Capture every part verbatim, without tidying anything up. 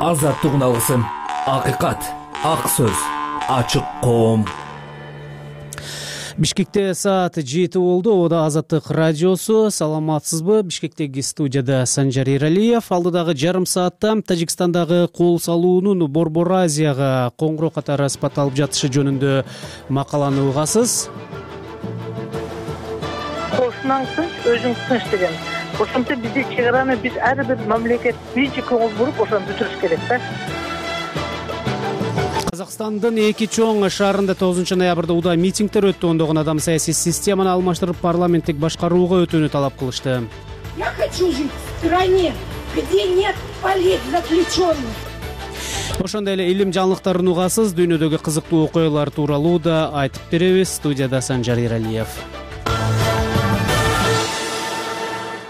Азаттык алгысым, акыйкат, ак сөз, ачык коом. Бишкекте саат жети болду. Ода Азаттык радиосу. Саламатсызбы? Бишкектеги студияда Санжар Эралиев. Алдыдагы жарым саатта Тажикстандагы кол салуунун Борбор Азияга коңгуроо катары спат алып жатышы жөнүндө макаланы угасыз. Кошунан тынч, өзүң тынч деген. Ошентип бизди чек араны биз ар бир мамлекет биринчи көңүл буруп ошону бүтүрүш керек да. Казакстандын эки чоң шаарында тогузунчу ноябрда удаа митингдер өттү. Ондогон адам саясий системаны алмаштырып парламенттик башкарууга өтүүнү талап кылышты. Я хочу жить в стране, где нет политзаключенных. Ошондой эле илим жаңылыктарын угасыз. Дүйнөдөгү кызыктуу окуялар тууралуу да айтып беребиз. Студияда Санжар Эралиев.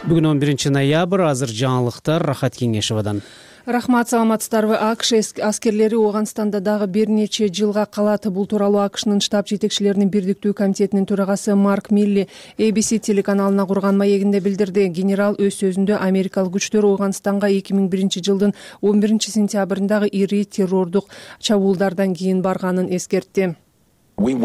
Бүгүн он биринчи ноябрь. Азыр жаңылыктар Рахат Кеңешевадан. Рахмат, саламатсыздарбы? АКШ аскерлери Ооганстанда дагы бир нече жылга калат. Бул тууралуу АКШнын штаб жетекчилеринин бирдиктүү комитетинин төрагасы Марк Милли эй би си телеканалына курган маегинде билдирди. Генерал өз сөзүндө Америкалык күчтөр Ооганстанга эки миң биринчи жылдын он биринчи сентябрындагы ири террордук чабуулдардан кийин барганын эскертти. Биз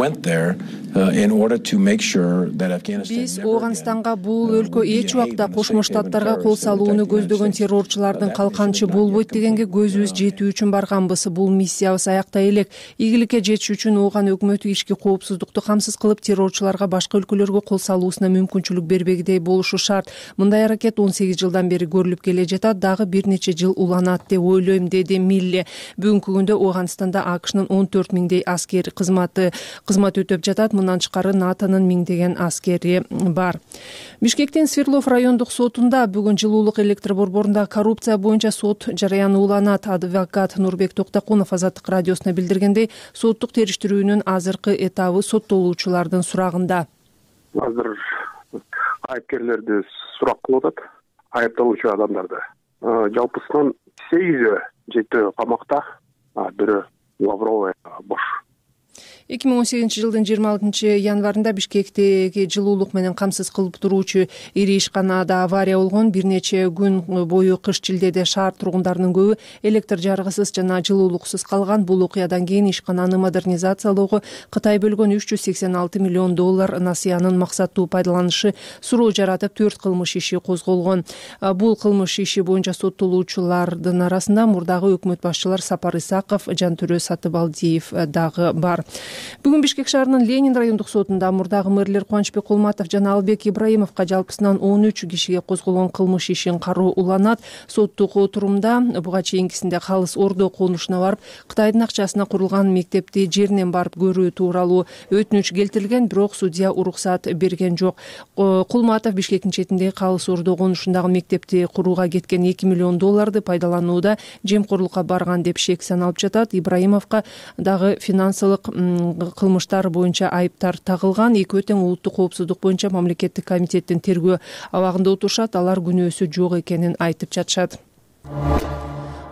Ооганстанга бул өлкө эч убакта Кошмо Штаттарга кол салууну көздөгөн террорчулардын калканчы болбойт дегенге көзүбүз жетүү үчүн барганбыз. Бул миссиябыз аяктай элек. Ийгиликке жетиш үчүн Ооган өкмөтү ички коопсуздукту камсыз кылып, террорчуларга башка өлкөлөргө кол салуусуна мүмкүнчүлүк бербегидей болушу шарт. Мындай аракет он сегиз жылдан бери көрүлүп келе жатат, дагы бир нече жыл уланат деп ойлойм, деди Милли. Бүгүнкү күндө Ооганстанда АКШнын он төрт миңдей аскер кызматы кызмат өтөп жатат. Мындан тышкары НАТОнун миңдеген аскери бар. Бишкектин Свердлов райондук сотунда бүгүн жылуулук электр борборунда коррупция боюнча сот жараяны уланат. Адвокат Нурбек Токтокунов Азаттык радиосуна билдиргендей, соттук териштирүүнүн азыркы этабы соттолуучулардын сурагында. Азыр айыпкерлерди сурак кылып атат, айыпталуучу адамдарды. Жалпысынан сегизи жетөө камакта, бирөө Лавровая бош. эки миң он сегизинчи жылдын жыйырма алтынчы январында Бишкектеги жылуулук менен камсыз кылып туруучу ири ишканада авария болгон. Бир нече күн бою кыш-чилдеде шаар тургундарынын көбү электр жарыгысыз жана жылуулуксуз калган. Бул окуядан кийин ишкананы модернизациялоого Кытай бөлгөн үч жүз сексен алты миллион доллар насыянын максаттуу пайдаланышы суроо жаратып, төрт кылмыш иши козголгон. Бул кылмыш иши боюнча соттолуучулардын арасында мурдагы өкмөт башчылар Сапар Исаков, Жантөрө Сатыбалдиев дагы бар. Бүгүн Бишкек шаарынын Ленин райондук сотунда мурдагы мэрлер Кубанычбек Кулматов жана Албек Ибраимовго жалпысынан он үч кишиге козголгон кылмыш ишин кароо уланат. Соттук отурумда буга чейинкисинде калыс Ордо конушуна барып, Кытайдын акчасына курулган мектепти жеринен барып көрүү тууралуу өтүнүч келтирилген, бирок судья уруксат берген жок. Кулматов Бишкектин четиндеги калыс Ордо конушундагы мектепти курууга кеткен эки миллион долларды пайдаланууда жемкорлукка барган деп шек саналып жатат. Ибраимовго дагы финансылык кылмыштар боюнча айыптар тагылган. Экөө тең улуттук коопсуздук боюнча мамлекеттик комитеттин тергөө абагында отурушат. Алар күнөөсү жок экенин айтып жатышат.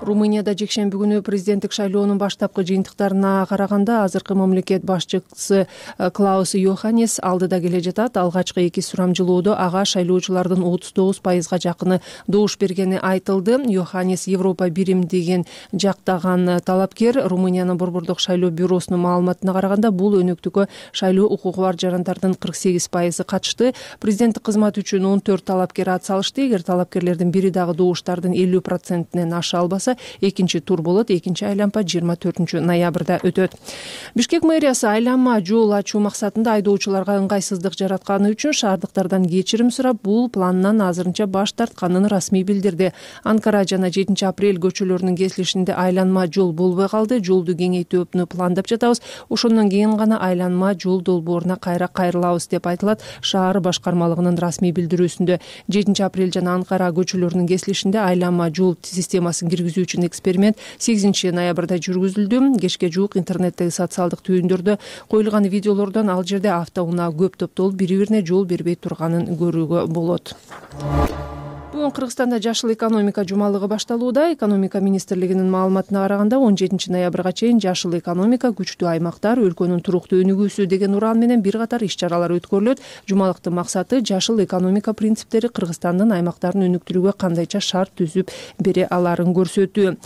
Румынияда жекшемби күнү президенттик шайлоонун баштапкы жыйынтыктарына караганда азыркы мамлекет башчысы Клаус Йоханнес алдыда келе жатат. Алгачкы эки сурамжылоодо ага шайлоочулардын отуз тогуз пайызга жакыны добуш бергени айтылды. Йоханнес Европа биримдигин жактаган талапкер. Румыниянын борбордук шайлоо бюросунун маалыматына караганда, бул өнөктүккө шайлоо укугу бар жарандардын кырк сегиз пайызы катышты. Президенттик кызмат үчүн он төрт талапкер ат салышты. Эгер талапкерлердин бири дагы добуштардын элүү процентинен аша албаса, экинчи тур болот. Экинчи айланма жыйырма төртүнчү ноябрда өтөт. Бишкек мэриясы айланма жол ачуу максатында айдоочуларга ыңгайсыздык жаратканы үчүн шаардыктардан кечирим сурап, бул планынан азырынча баш тартканын расмий билдирди. Анкара жана жетинчи апрель көчөлөрүнүн кесилишинде айланма жол болбой калды. Жолду кеңейтүүнү пландап жатабыз. Ошондон кийин гана айланма жол долбооруна кайра кайрылабыз деп айтылат шаар башкармалыгынын расмий билдирүүсүндө. жетинчи апрель жана Анкара көчөлөрүнүн кесилишинде айланма жол системасын киргизүү үчүн эксперимент сегизинчи ноябрда жүргүзүлдү. Кечке жуук интернеттеги социалдык түйүндөрдө коюлган видеолордон ал жерде автоунаа көп топтолуп, бири-бирине жол бербей турганын көрүүгө болот. Бүгүн Кыргызстанда жашыл экономика жумалыгы башталууда. Экономика министрлигинин маалыматына караганда он жетинчи ноябрга чейин жашыл экономика, күчтүү аймактар, өлкөнүн туруктуу өнүгүүсү деген уран менен бир катар иш-чаралар өткөрүлөт. Жумалыктын максаты жашыл экономика принциптери Кыргызстандын аймактарын өнүктүрүүгө кандайча шарт түзүп бере аларын көрсөтүү.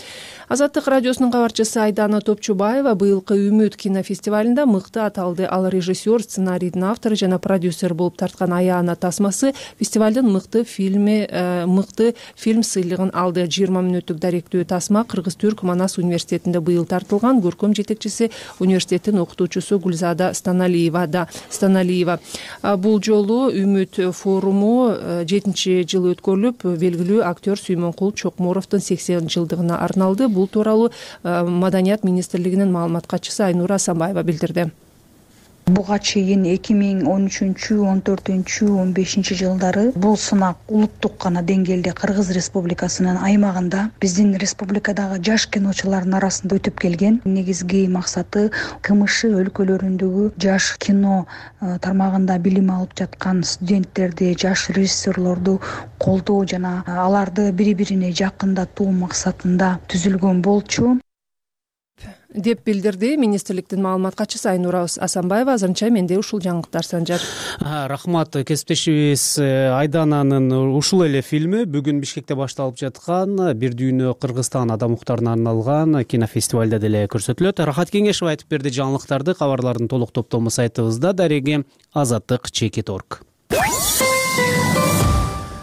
Азаттык радиосунун кабарчысы Айдана Топчубаева быйылкы Үмүт кинофестивалында мыкты аталды. Ал режиссер, сценарийдин автору жана продюсер болуп тарткан Аяна тасмасы фестивалдын мыкты фильми мыкты фильм сыйлыгын алды. жыйырма мүнөттүк даректүү тасма Кыргыз-Түрк Манас университетинде быйыл тартылган. Көркөм жетекчиси университеттин окутуучусу Гүлзада Станалиева да Станалиева. Бул жолу Үмүт форуму жетинчи жыл өткөрүлүп, белгилүү актер Сүймөнкул Чокморовдун сексен жылдыгына арналды. Бул тууралуу Маданият министрлигинин маалымат катчысы Айнура Асанбаева билдирди. Буга чейин эки миң он үчүнчү он төртүнчү он бешинчи жылдары бул сынак улуттук гана деңгээлде Кыргыз Республикасынын аймагында биздин республикадагы жаш киночулардын арасында өтүп келген. Негизги максаты КМШ өлкөлөрүндөгү жаш кино тармагында билим алып жаткан студенттерди, жаш режиссерлорду колдоо жана аларды бири-бирине жакындатуу максатында түзүлгөн болчу деп билдирди министрликтин маалымат катчысы Айнура Асанбаева. Азырынча менде ушул жаңылыктар Санжар. Рахмат. Кесиптешибиз Айдананын ушул эле фильми бүгүн Бишкекте башталып жаткан Бир дүйнө Кыргызстан адам укуктарына арналган кинофестивалда деле көрсөтүлөт. Рахат Кеңешев айтып берди жаңылыктарды. Кабарлардын толук топтому сайтыбызда, дареги азаттык чекит точка орг.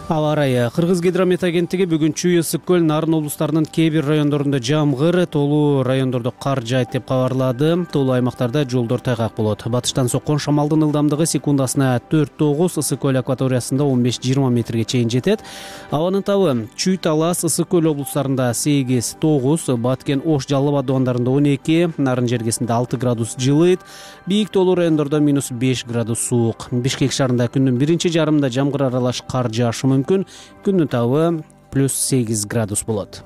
Аба ырайы. Кыргыз гидромет агенттиги бүгүн Чүй, Ысык көл, Нарын облустарынын кээ бир райондорунда жамгыр, тоолуу райондордо кар жаайт деп кабарлады. Тоолуу аймактарда жолдор тайгак болот. Батыштан соккон шамалдын ылдамдыгы секундасына төрт тогуз, Ысык көл акваториясында он беш жыйырма метрге чейин жетет. Абанын табы Чүй, Талас, Ысык көл облустарында сегиз тогуз, Баткен, Ош, Жалал абад абандарында он эки, Нарын жергесинде алты градус жылыйт. Бийик тоолуу райондордо минус беш градус суук. Бишкек шаарында күндүн биринчи жарымында жамгыр аралаш кар жаашы мүмкүн. Күндүн табы плюс сегиз градус болот.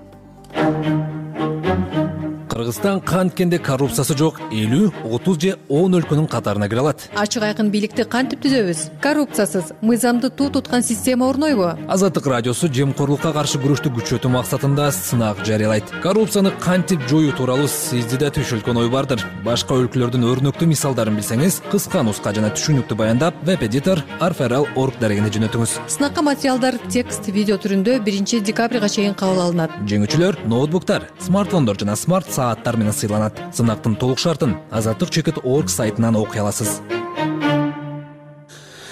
Кыргызстан канткенде коррупциясы жок элүү, отуз же он өлкөнүн катарына кире алат. Ачык айкын бийликти кантип түзөбүз? Коррупциясыз, мыйзамды туу туткан система орнойбу? Азаттык радиосу жемкорлукка каршы күрөштү күчөтүү максатында сынак жарыялайт. Коррупцияны кантип жоюу тууралуу сизди да түшүлгөн ой бардыр. Башка өлкөлөрдүн өрнөктүү мисалдарын билсеңиз, кыска нуска жана түшүнүктүү баяндап, веб-эдитор арферал точка орг дарегине жөнөтүңүз. Сынакка материалдар текст, видео түрүндө биринчи декабрга чейин кабыл алынат. Жеңүүчүлөр ноутбуктар, смартфондор жана смарт сааттар менен сыйланат. Сынактын толук шартын азаттык чекит точка орг сайтынан окуй аласыз.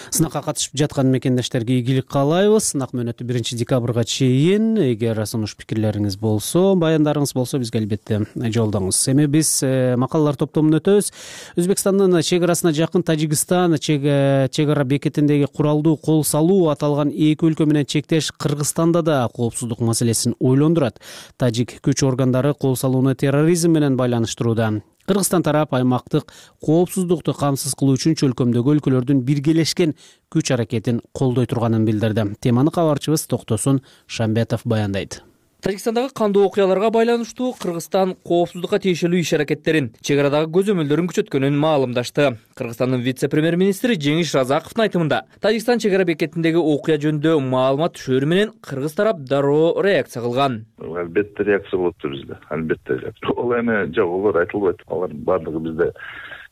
Сынакка катышып жаткан мекендештерге ийгилик каалайбыз. Сынак мөөнөтү биринчи декабрга чейин. Эгер сунуш пикирлериңиз болсо, баяндарыңыз болсо бизге албетте жолдоңуз. Эми биз макалалар топтомун өтөбүз. Өзбекстандын чек арасына жакын Тажикстан чек ара бекетиндеги куралдуу кол салуу аталган эки өлкө менен чектеш Кыргызстанда да коопсуздук маселесин ойлондурат. Тажик күч органдары кол салууну терроризм менен байланыштырууда. Кыргызстан тарап аймактык коопсуздукту камсыз кылуу үчүн чөлкөмдөгү өлкөлөрдүн биргелешкен күч аракетин колдой турганын билдирди. Теманы кабарчыбыз Токтосун Шамбетов баяндайт. Тажикстандагы кандуу окуяларга байланыштуу Кыргызстан коопсуздукка тиешелүү иш аракеттерин, чек арадагы көзөмөлдөрүн күчөткөнүн маалымдашты. Кыргызстандын вице-премьер-министри Жеңиш Разаковдун айтымында, Тажикстан чек ара бекетиндеги окуя жөнүндө маалымат түшөрү менен кыргыз тарап дароо реакция кылган. Албетте реакция болот бизде. Албетте. Ол эми жок, олар айтылбайт. Алар бардыгы бизде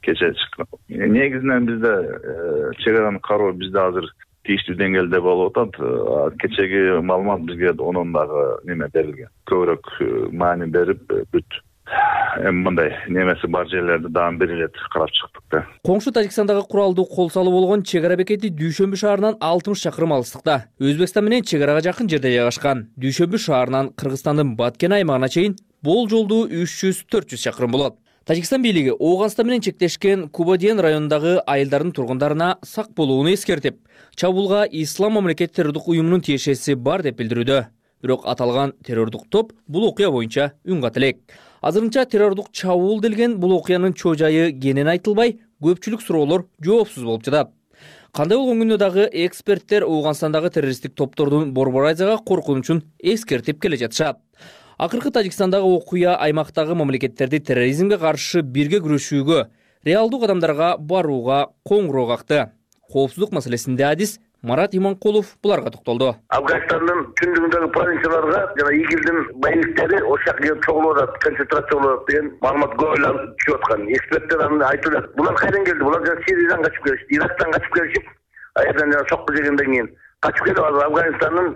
кече чыккан. Негизинен бизде чек араны кароо бизде азыр тийиштүү деңгээлде болуп атат. Кечеги маалымат бизге онун дагы неме берилген. Көбүрөөк маани берип бүт. Эми мындай немеси бар жерлерди дагы бир эле карап чыктык да. Коңшу Тажикстандагы куралдуу кол салуу болгон чек ара бекети Дүйшөмбү шаарынан алтымыш чакырым алыстыкта. Өзбекстан менен чек арага жакын жерде жайгашкан. Дүйшөмбү шаарынан Кыргызстандын Баткен аймагына чейин бул жолду үч жүз төрт жүз чакырым болот. Тажикстан бийлиги Ооганстан менен чектешкен Кубадиен районундагы айылдардын тургундарына сак болууну эскертип, чабуулга Ислам мамлекет террордук уюмунун тиешеси бар деп билдирүүдө. Бирок аталган террордук топ бул окуя боюнча үн ката элек. Азырынча террордук чабуул делген бул окуянын чоо жайы кенен айтылбай, көпчүлүк суроолор жоопсуз болуп жатат. Кандай болгон күндө дагы эксперттер Ооганстандагы террористтик топтордун Борбор Азияга коркунучун эскертип келе жатышат. Акыркы Тажикстандагы окуя аймактагы мамлекеттерди терроризмге каршы бирге күрөшүүгө, реалдуу кадамдарга барууга коңгуроо какты. Коопсуздук маселесинде адис Марат Иманкулов буларга токтолду. Афганистандын түндүгүндөгү провинцияларга жана игилдин байниктери ошакка чогулуп атат, концентрацияланып деген маалымат көп эле түшүп аткан. Эксперттер аны айтып, булар кайдан келди? Булар жана Сириядан качып келишти, Ирактан качып келишип, аярдан жана сокку жегенден кийин качып келип Афганистандын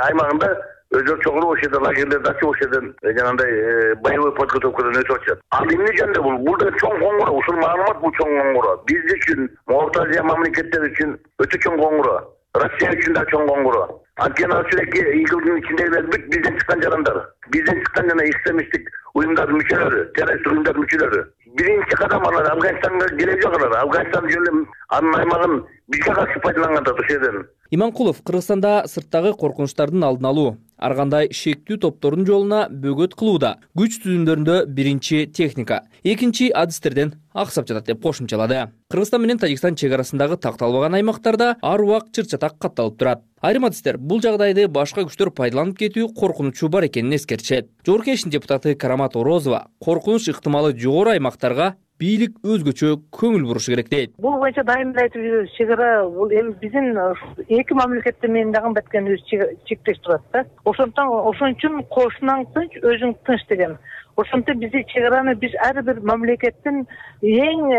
аймагында өздөрү чогулуп ошол жерде лагерлерди ачып ошол жерден жанагындай боевой подготовкадан өтүп атышат. Ал эмне жөнүндө бул? Бул да чоң коңгуроо. Ушул маалымат бул чоң коңгуроо. Биз үчүн, Орто Азия мамлекеттери үчүн өтө чоң коңгуроо. Россия үчүн да чоң коңгуроо. Анткени ал чүрекке игилдин ичиндегилер бүт бизден чыккан жарандар. Бизден чыккан жана экстремисттик уюмдардын мүчөлөрү, террористтик уюмдардын мүчөлөрү. Биринчи кадам алар Афганистанга келе жок. Афганистан жөнүндө анын аймагын бизге каршы пайдаланган да ошол жерден. Иманкулов Кыргызстанда сырттагы коркунучтардын алдын алуу, ар кандай шектүү топтордун жолуна бөгөт кылууда күч түзүмдөрүндө биринчи техника, экинчи адистерден аксап жатат деп кошумчалады. Кыргызстан менен Тажикстан чек арасындагы такталбаган аймактарда ар убак чыр-чатак катталып турат. Айрым адистер бул жагдайды башка күчтөр пайдаланып кетүү коркунучу бар экенин эскертишет. Жогорку Кеңештин депутаты Карамат Орозова коркунуч ыктымалы жогору аймактарга бийлик өзгөчө көңүл бурушу керек дейт. Бул боюнча дайым эле айтып жүрөбүз. Чек ара бул эми биздин эки мамлекетте менен дагы баткенибиз чектеш турат да. Ошондон ошон үчүн кошунаң тынч, өзүң тынч деген. Ошондо бизди чек араны биз ар бир мамлекеттин эң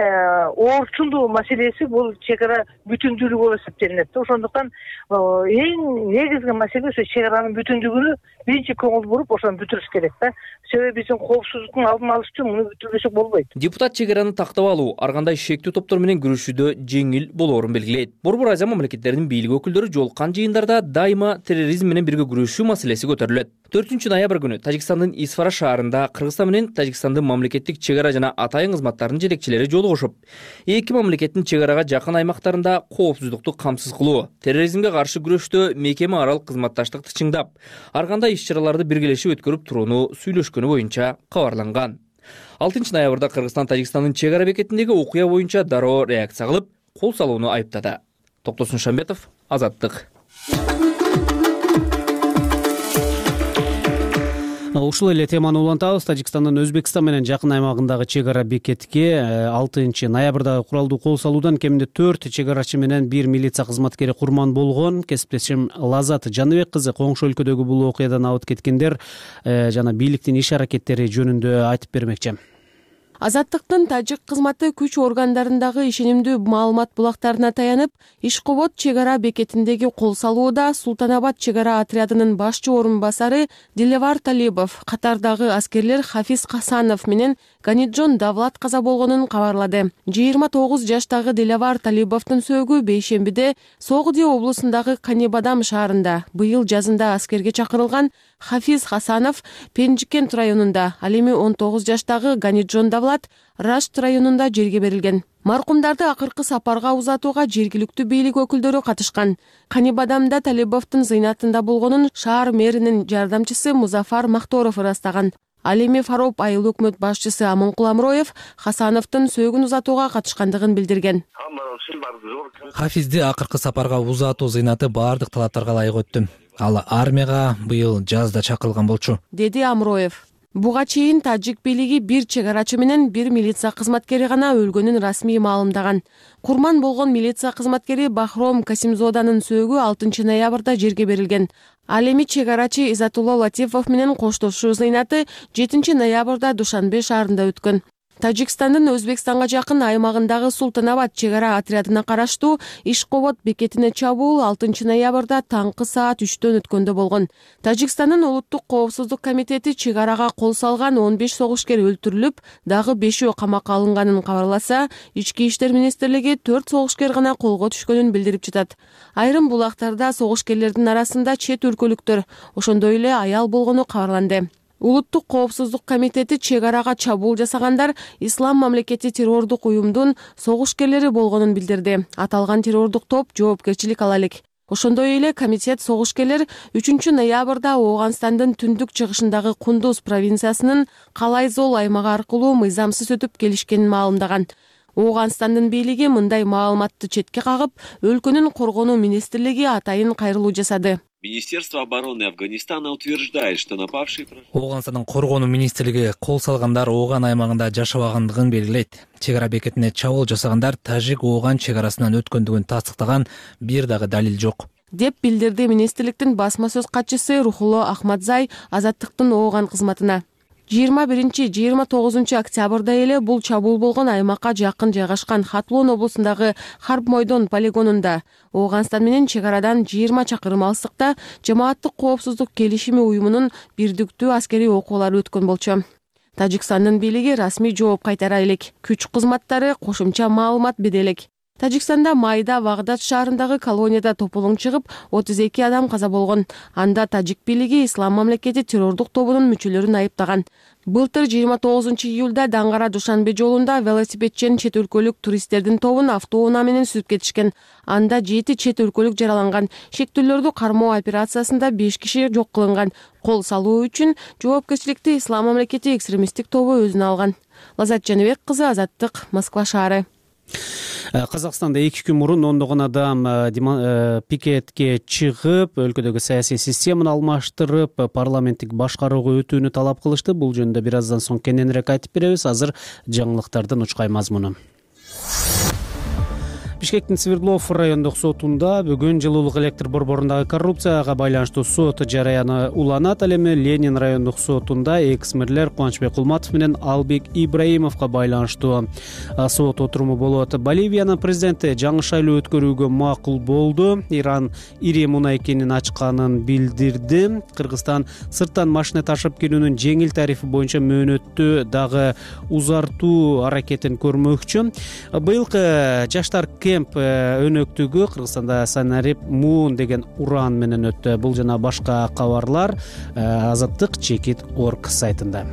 оорчулуу маселеси бул чек ара бүтүндүүлүгү болуп эсептелинет. Ошондуктан эң негизги маселе ошо чек аранын бүтүндүгүнө биринчи көңүл буруп ошону бүтүрүш керек да. Себеби биздин коопсуздуктун алдын алыш үчүн муну бүтүрбөсөк болбойт. Депутат чек араны тактап алуу ар кандай шектүү топтор менен күрөшүүдө жеңил болоорун белгилейт. Борбор Азия мамлекеттеринин бийлик өкүлдөрү жолуккан жыйындарда дайыма терроризм менен бирге күрөшүү маселеси көтөрүлөт. төртүнчү ноябрь күнү Тажикстандын Исфара шаарында Кыргызстан менен Тажикстандын мамлекеттик чек ара жана атайын кызматтарынын жетекчилери жолугушуп, эки мамлекеттин чек арага жакын аймактарында коопсуздукту камсыз кылуу, терроризмге каршы күрөштө мекеме аралык кызматташтыкты чыңдап, ар кандай иш-чараларды биргелешип өткөрүп турууну сүйлөшкөнү боюнча кабарланган. алтынчы ноябрда Кыргызстан Тажикстандын чек ара бекетиндеги окуя боюнча дароо реакция кылып, кол салууну айыптады. Токтосун Шамбетов, Азаттык. Ушул эле теманы улантабыз. Тажикстандын Өзбекстан менен жакын аймагындагы чек ара бекетке алтынчы ноябрда куралдуу кол салуудан кеминде төрт чек арачы менен бир милиция кызматкери курман болгон. Кесиптешим Лазат Жаныбек кызы коңшу өлкөдөгү бул окуядан абыт кеткендер жана бийликтин иш аракеттери жөнүндө айтып бермекчи. Азаттыктын тажик кызматы күч органдарындагы ишенимдүү маалымат булактарына таянып, Ишкобод чек ара бекетиндеги кол салууда Султанабад чек ара отрядынын башчы орун басары Дилевар Талибов, катардагы аскерлер Хафиз Хасанов менен Ганиджон Давлат каза болгонун кабарлады. жыйырма тогуз жаштагы Дилевар Талибовдун сөөгү бейшембиде Согди облусундагы Канибадам шаарында быйыл жазында аскерге чакырылган Хафиз Хасанов Пенжикент районунда, ал эми он тогуз жаштагы Ганиджон Давлат Рашт районунда жерге берилген. Маркумдарды акыркы сапарга узатууга жергиликтүү бийлик өкүлдөрү катышкан. Канибадамда Талибовдун зыйнатында болгонун шаар мэринин жардамчысы Музафар Махторов ырастаган. Ал эми Фароп айыл өкмөт башчысы Аманкул Амроев Хасановдун сөөгүн узатууга катышкандыгын билдирген. Хафизди акыркы сапарга узатуу зыйнаты баардык талаптарга ылайык өттү. Ал армияга быйыл жазда чакырылган болчу, деди Амроев. Буга чейин тажик бийлиги бир чек арачы менен бир милиция кызматкери гана өлгөнүн расмий маалымдаган. Курман болгон милиция кызматкери Бахром Касимзоданын сөөгү алтынчы ноябрда жерге берилген. Ал эми чек арачы Изатулла Латифов менен коштошуу зыйнаты жетинчи ноябрда Душанбе шаарында өткөн. Тажикстандын Өзбекстанга жакын аймагындагы Султанабад чек ара отрядына караштуу Ишкобод бекетине чабуул алтынчы ноябрда таңкы саат үчтөн өткөндө болгон. Тажикстандын улуттук коопсуздук комитети чек арага кол салган он беш согушкер өлтүрүлүп, дагы бешөө камакка алынганын кабарласа, Ички иштер министрлиги төрт согушкер гана колго түшкөнүн билдирип жатат. Айрым булактарда согушкерлердин арасында чет өлкөлүктөр, ошондой эле аял болгону кабарланды. Улуттук коопсуздук комитети чек арага чабуул жасагандар Ислам мамлекети террордук уюмдун согушкерлери болгонун билдирди. Аталган террордук топ жоопкерчилик ала элек. Ошондой эле комитет согушкерлер үчүнчү ноябрда Ооганстандын түндүк чыгышындагы Кундуз провинциясынын Калайзол аймагы аркылуу мыйзамсыз өтүп келишкенин маалымдаган. Ооганстандын бийлиги мындай маалыматты четке кагып, өлкөнүн коргонуу министрлиги атайын кайрылуу жасады. Министерство обороны Афганистана утверждает, что напавшие... Ооганстандын коргонуу министрлиги кол салгандар Ооган аймагында жашабагандыгын белгилейт. Чек ара бекетине чабуул жасагандар Тажик-Ооган чек арасынан өткөндүгүн тастыктаган бир дагы далил жок, деп билдирди министрликтин басма сөз катчысы Рухулло Ахмадзай Азаттыктын Ооган кызматына. жыйырма биринчи жыйырма тогузунчу октябрда эле бул чабуул болгон аймакка жакын жайгашкан Хатлон облусундагы Харп Мойдон полигонунда, Ооганстан менен чек арадан жыйырма чакырым алыстыкта жамааттык коопсуздук келишими уюмунун бирдиктүү аскерий окуулары өткөн болчу. Тажикстандын бийлиги расмий жооп кайтара элек, күч кызматтары кошумча маалымат бере элек. Тажикстанда майда Вагдад шаарындагы колонияда тополоң чыгып, отуз эки адам каза болгон. Анда тажик бийлиги Ислам мамлекети террордук тобунун мүчөлөрүн айыптаган. Былтыр жыйырма тогузунчу июлда Даңгара Душанбе жолунда велосипедчен чет өлкөлүк туристтердин тобун автоунаа менен сүрүп кетишкен. Анда жети чет өлкөлүк жараланган. Шектүүлөрдү кармоо операциясында беш киши жок кылынган. Кол салуу үчүн жоопкерчиликти Ислам мамлекети экстремисттик тобу өзүнө алган. Лазат Жаныбек кызы, Азаттык, Москва шаары. Казакстанда эки күн мурун ондогон адам пикетке чыгып, өлкөдөгү саясий системаны алмаштырып, парламенттик башкарууга өтүүнү талап кылышты. Бул жөнүндө бир аздан соң кененирээк айтып беребиз. Азыр жаңылыктардын учкай мазмуну. Бишкектин Свердлов райондук сотунда бүгүн жылуулук электр борборундагы коррупцияга байланыштуу сот жараяны уланат. Ал эми Ленин райондук сотунда экс-мэрлер Кубанычбек Кулматов менен Албек Ибраимовго байланыштуу сот отуруму болот. Боливиянын президенти жаңы шайлоо өткөрүүгө макул болду. Иран ири мунай кенин ачканын билдирди. Кыргызстан сырттан машина ташып келүүнүн жеңил тарифи боюнча мөөнөттү дагы узартуу аракетин көрмөкчү. Быйылкы жаштар кемп өнөктүгү Кыргызстанда Санарип Муун деген уран менен өттү. Бул жана башка кабарлар Азаттык чекит точка орг сайтында.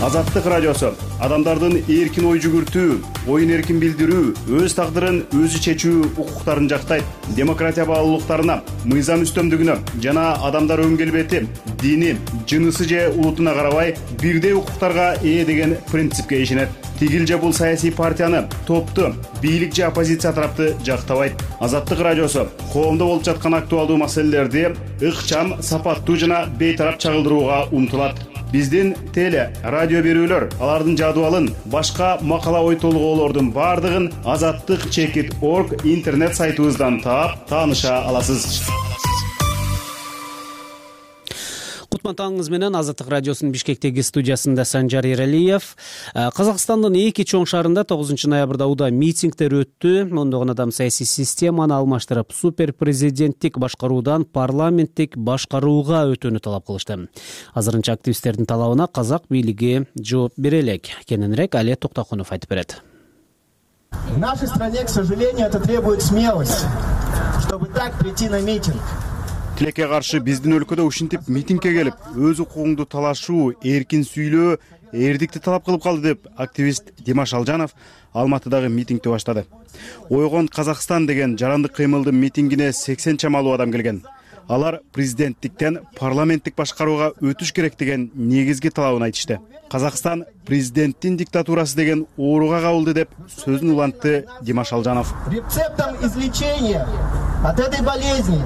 Азаттык радиосу адамдардын эркин ой жүгүртүү, оюн эркин билдирүү, өз тагдырын өзү чечүү укуктарын жактайт. Демократия баалуулуктарына, мыйзам үстөмдүгүнө жана адамдар өн келбети, дини, жынысы же улутуна карабай бирдей укуктарга ээ деген принципке ишенет. Тигил же бул саясий партияны, топту, бийлик же оппозиция тарапты жактабайт. Азаттык радиосу коомдо болуп жаткан актуалдуу маселелерди ыкчам, сапаттуу жана бейтарап чагылдырууга умтулат. Биздин теле, радио берүүлөр, алардын жадыбалын, башка макала ой толгоолордун бардыгын азаттык чекит точка орг интернет сайтыбыздан таап, тааныша аласыз. Кутман таңыңыз менен Азаттык радиосунун Бишкектеги студиясында Санжар Эралиев. Казакстандын эки чоң шаарында тогузунчу ноябрда уда митингдер өттү. Ондогон адам саясий системаны алмаштырып, супер президенттик башкаруудан парламенттик башкарууга өтүүнү талап кылышты. Азырынча активисттердин талабына казак бийлиги жооп бере элек. Кененирээк Али Токтокунов айтып берет. В нашей стране, к сожалению, это требует смелости, чтобы так прийти на митинг. Тилекке каршы биздин өлкөдө ушинтип митингге келип, өз укугуңду талашуу, эркин сүйлөө, эрдикти талап кылып калды деп активист Димаш Алжанов Алматыдагы митингди баштады. Ойгон Казакстан деген жарандык кыймылдын митингине сексен чамалуу адам келген. Алар президенттиктен парламенттик башкарууга өтүш керек деген негизги талабын айтышты. Казакстан президенттин диктатурасы деген ооруга кабылды деп сөзүн улантты Димаш Алжанов. Рецептом излечения от этой болезни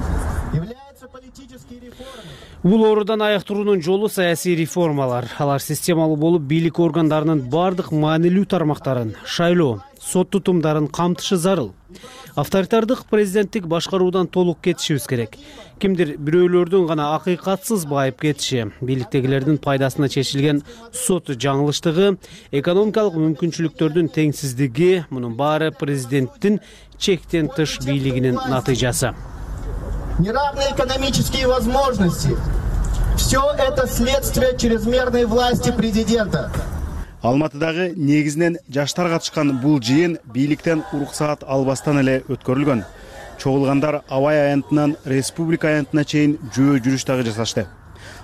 являются политические реформы. Бул оорудан аяктыруунун жолу саясий реформалар. Алар системалуу болуп, бийлик органдарынын бардык маанилүү тармактарын, шайлоо, сот тутумдарын камтышы зарыл. Авторитардык президенттик башкаруудан толук кетишибиз керек. Кимдир бирөөлөрдүн гана акыйкатсыз байып кетиши, бийликтегилердин пайдасына чечилген сот жаңылыштыгы, экономикалык мүмкүнчүлүктөрдүн теңсиздиги, мунун баары президенттин чектен тыш бийлигинин натыйжасы. Неравные экономические возможности. Все это следствие чрезмерной власти президента. Алматыдагы негизинен жаштар катышкан бул жыйын бийликтен уруксаат албастан эле өткөрүлгөн. Чогулгандар Абай аянтынан Республика аянтына чейин жөө жүрүш дагы жасашты.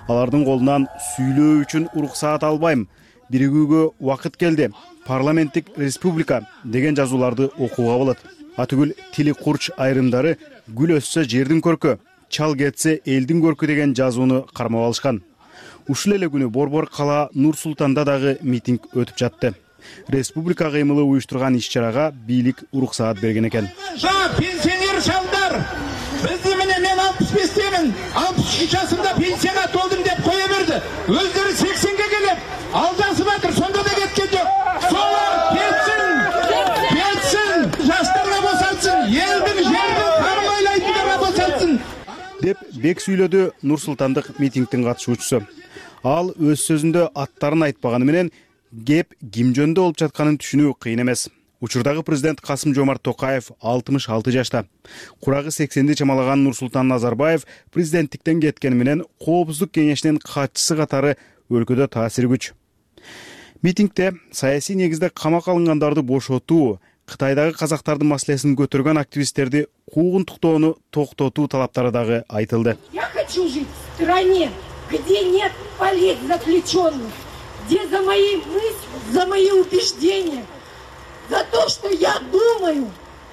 Алардын колунан сүйлөө үчүн уруксаат албайм, биригүүгө убакыт келди, парламенттик республика деген жазууларды окууга болот. Атүгүл тили курч айрымдары гүл өссө жердин көркү, чал кетсе элдин көркү деген жазууну кармап алышкан. Ушул эле күнү Борбор кала Нур Султанда дагы митинг өтүп жатты. Республика кыймылы уюштурган иш-чарага бийлик уруксаат берген экен. Пенсионер шалдар, бизди менен мен алтымыш бештемин, алтымыш үч жашымда пенсияга толдум деп кое берди. Өздөрү сексенге келип, алдасып атыр, сонда да кеткен жок. Солар кетсин, кетсин, жаштарга босатсын, элдин жердин кармайлайтындарга босатсын деп бек сүйлөдү Нур Султандык митингдин катышуучусу. ал өз сөзүндө аттарын айтпаганы менен кеп ким жөнүндө болуп жатканын түшүнүү кыйын эмес. Учурдагы президент Касым Жомарт Токаев алтымыш алты жашта. Курагы сексенди чамалаган Нурсултан Назарбаев президенттиктен кеткени менен Коопсуздук кеңешинин катчысы катары өлкөдө таасири күч. Митингде саясий негизде камакка алынгандарды бошотуу, Кытайдагы казактардын маселесин көтөргөн активисттерди куугунтуктоону токтотуу талаптары дагы айтылды. Я хочу жить в стране, где нет политзаключенных, где за мои мысли, за мои убеждения, за то, что я думаю,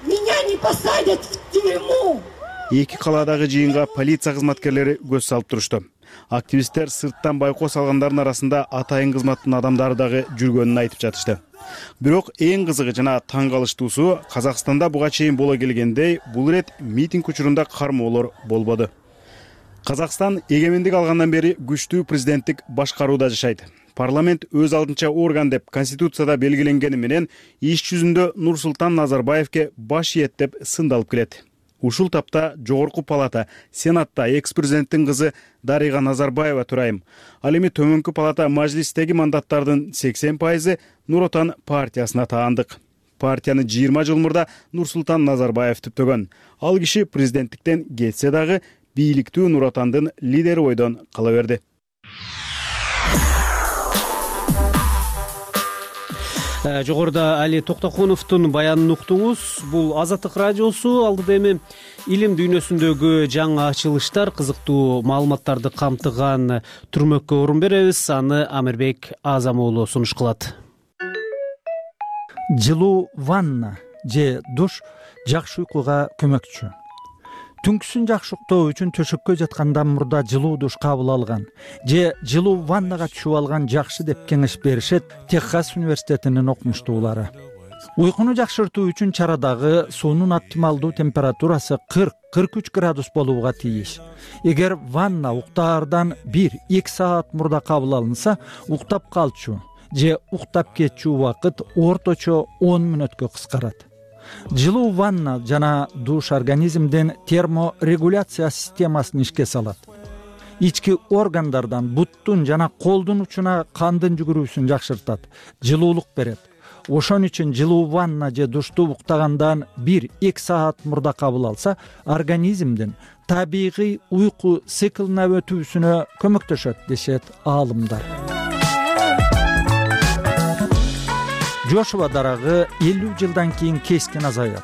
меня не посадят в тюрьму. Эки калаадагы жыйынга полиция кызматкерлери көз салып турушту. Активисттер сырттан байкоо салгандардын арасында атайын кызматтын адамдары дагы жүргөнүн айтып жатышты. Бирок эң кызыгы жана таң калыштуусу, Казакстанда буга чейин боло келгендей, бул ирет митинг учурунда кармоолор болбоду. Казакстан эгемендик алгандан бери күчтүү президенттик башкарууда жашайт. Парламент өз алдынча орган деп Конституцияда белгиленгени менен иш жүзүндө Нурсултан Назарбаевке баш ийет деп сындалып келет. Ушул тапта Жогорку палата, Сенатта экс-президенттин кызы Дарига Назарбаева турайым. Ал эми төмөнкү палата мажлистеги мандаттардын сексен пайызы Нур Отан партиясына таандык. Партияны жыйырма жыл мурда Нурсултан Назарбаев түптөгөн. Ал киши президенттиктен кетсе дагы бийликтүү Нур Отандын лидери бойдон кала берди. Жогоруда Али Токтокуновдун баянын уктуңуз. Бул Азаттык радиосу. Алдыда эми илим дүйнөсүндөгү жаңы ачылыштар, кызыктуу маалыматтарды камтыган түрмөккө орун беребиз. Аны Амирбек Азам уулу сунуш кылат. Жылуу ванна же душ жакшы уйкуга көмөкчү. Түнкүсүн жакшы уктоо үчүн төшөккө жаткандан мурда жылуу душ кабыл алган же жылуу ваннага түшүп алган жакшы деп кеңеш беришет Техас университетинин окумуштуулары. Уйкуну жакшыртуу үчүн чарадагы суунун оптималдуу температурасы кырк кырк үч градус болууга тийиш. Эгер ванна уктаардан бир-эки саат мурда кабыл алынса, уктап калчу же уктап кетчү убакыт орточо он мүнөткө кыскарат. Жылуу ванна жана душ организмдин терморегуляция системасын ишке салат. Ички органдардан буттун жана колдун учуна кандын жүгүрүүсүн жакшыртат, жылуулук берет. Ошон үчүн жылуу ванна же душту уктагандан бир-эки саат мурда кабыл алса, организмдин табигый уйку циклына өтүүсүнө көмөктөшөт дешет аалымдар. Жошуа дарагы элүү жылдан кийин кескин азаят.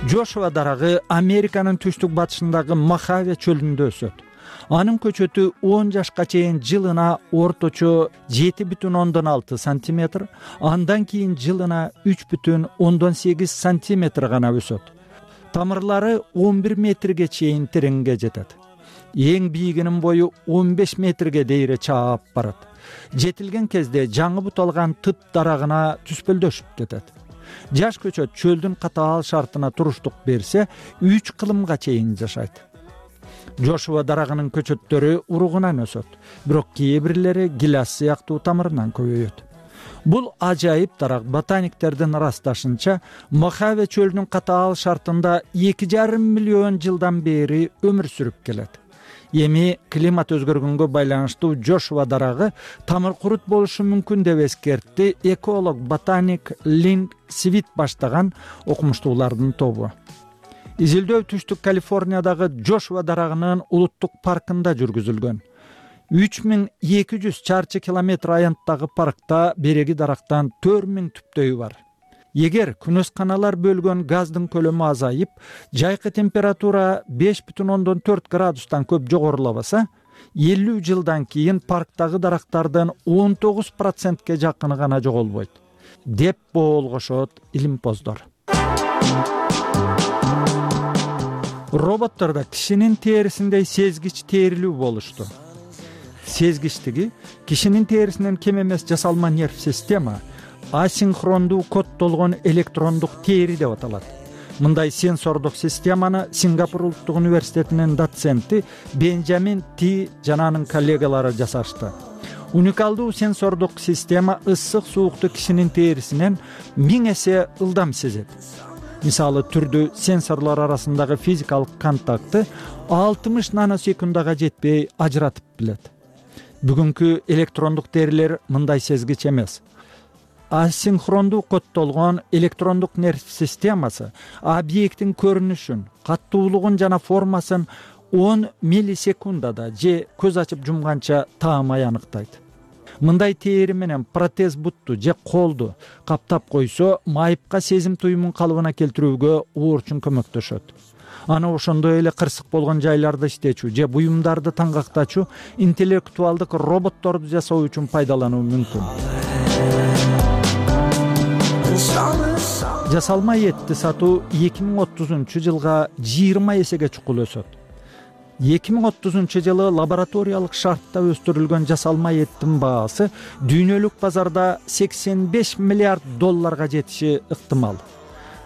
Жошуа дарагы Американын түштүк батышындагы Мохаве чөлүндө өсөт. Анын көчөтү он жашка чейин жылына орточо жети бүтүн ондон алты сантиметр, андан кийин жылына үч бүтүн ондон сегиз сантиметр гана өсөт. Тамырлары он бир метрге чейин тереңге жетет. Эң бийигинин бою он беш метрге дейре чаап барат. Жетилген кезде жаңы бут алган тыт дарагына түспөлдөшүп кетет. Жаш көчөт чөлдүн катаал шартына туруштук берсе, үч кылымга чейин жашайт. Жошуа дарагынын көчөттөрү уругунан өсөт, бирок кээ бирлери гилас сыяктуу тамырынан көбөйөт. Бул ажайып дарак ботаниктердин ырасташынча, Мохаве чөлүнүн катаал шартында эки жарым миллион жылдан бери өмүр сүрүп келет. Эми климат өзгөргөнгө байланыштуу Жошуа дарагы тамыр курут болушу мүмкүн деп эскертти эколог ботаник Линк Свит баштаган окумуштуулардын тобу. Изилдөө түштүк Калифорниядагы Жошуа дарагынын улуттук паркында жүргүзүлгөн. үч миң эки жүз чарчы километр аянттагы паркта береги дарактан төрт миң түптөйү бар. Эгер күнөсканалар бөлгөн газдын көлөмү азайып, жайкы температура беш бүтүн ондон төрт градустан көп жогорулабаса, элүү жылдан кийин парктагы дарактардын он тогуз процентке жакыны гана жоголбойт, деп боолгошот илимпоздор. Роботтордо кишинин терисиндей сезгич терилүү болушту. Сезгичтиги кишинин терисинен кем эмес жасалма нерв система асинхрондуу коддолгон электрондук тери деп аталат. Мындай сенсордук системаны Сингапур улуттук университетинин доценти Бенджамин Ти жана анын коллегалары жасашты. Уникалдуу сенсордук система ысык суукту кишинин терисинен миң эсе ылдам сезет. Мисалы түрдүү сенсорлор арасындагы физикалык контакты алтымыш наносекундага жетпей ажыратып билет. бүгүнкү электрондук терилер мындай сезгич эмес. Асинхрондуу коддолгон электрондук нерв системасы объекттин көрүнүшүн, каттуулугун жана формасын он миллисекундада же көз ачып жумганча таамай аныктайт. Мындай тээри менен протез бутту же колду каптап койсо, майыпка сезим туюмун калыбына келтирүүгө оорчун көмөктөшөт. Аны ошондой эле кырсык болгон жайларды иштечү же буюмдарды таңгактачу интеллектуалдык роботторду жасоо үчүн пайдалануу мүмкүн. Жасалма этти сатуу эки миң отузунчу жылга жыйырма эсеге чукул өсөт. эки миң отузунчу жылы лабораториялык шартта өстүрүлгөн жасалма эттин баасы дүйнөлүк базарда сексен беш миллиард долларга жетиши ыктымал.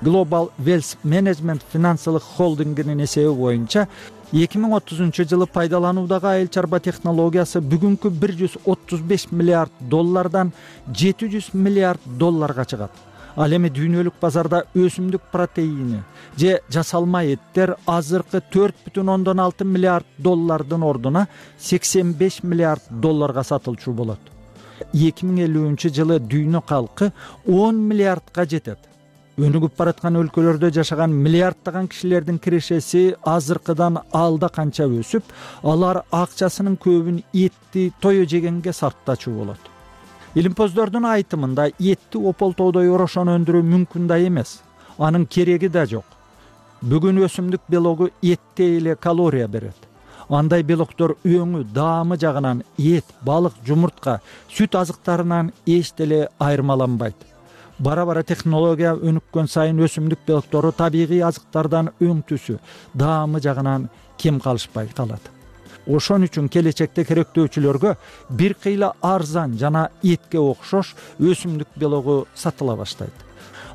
Global Wealth Management финансылык холдингинин эсеби боюнча эки миң отузунчу жылы пайдалануудагы айыл чарба технологиясы бүгүнкү бир жүз отуз беш миллиард доллардан жети жүз миллиард долларга чыгат. Ал эми дүйнөлүк базарда өсүмдүк протеини же жасалма эттер азыркы төрт бүтүн ондон алты миллиард доллардын ордуна сексен беш миллиард долларга сатылчу болот. эки миң элүүнчү жылы дүйнө калкы он миллиардга жетет. Өнүгүп бараткан өлкөлөрдө жашаган миллиарддаган кишилердин кирешеси азыркыдан алда канча өсүп, алар акчасынын көбүн этти тое жегенге сарптачу болот. Илимпоздордун айтымында этти ополтоодой орошон өндүрүү мүмкүн да эмес. Анын кереги да жок. Бүгүн өсүмдүк белогу этте эле калория берет. Андай белоктор өңү, даамы жагынан эт, балык, жумуртка, сүт азыктарынан эч деле айырмаланбайт. Бара-бара технология өнүккөн сайын өсүмдүк белоктору табигый азыктардан өң түсү, даамы жагынан кем калышпай калат. Ошон үчүн келечекте керектөөчүлөргө бир кыйла арзан жана этке окшош өсүмдүк белогу сатыла баштайт.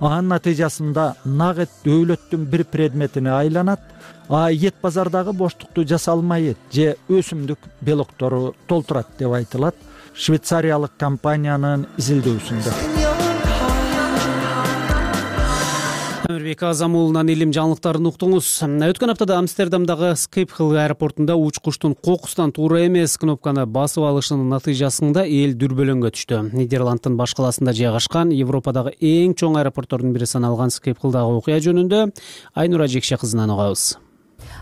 Анын натыйжасында нак эт дөөлөттүн бир предметине айланат, а эт базардагы боштукту жасалма эт же өсүмдүк белоктору толтурат деп айтылат швейцариялык компаниянын изилдөөсүндө. Амирбек Азамулунан илим жаңылыктарын уктуңуз. Өткөн аптада Амстердамдагы Скипхол аэропортунда учкучтун кокустан туура эмес кнопканы басып алышынын натыйжасында эл дүрбөлөңгө түштү. Нидерландтын баш каласында жайгашкан Европадагы эң чоң аэропорттордун бири саналган Скипхолдагы окуя жөнүндө Айнура Жекше кызынан угабыз.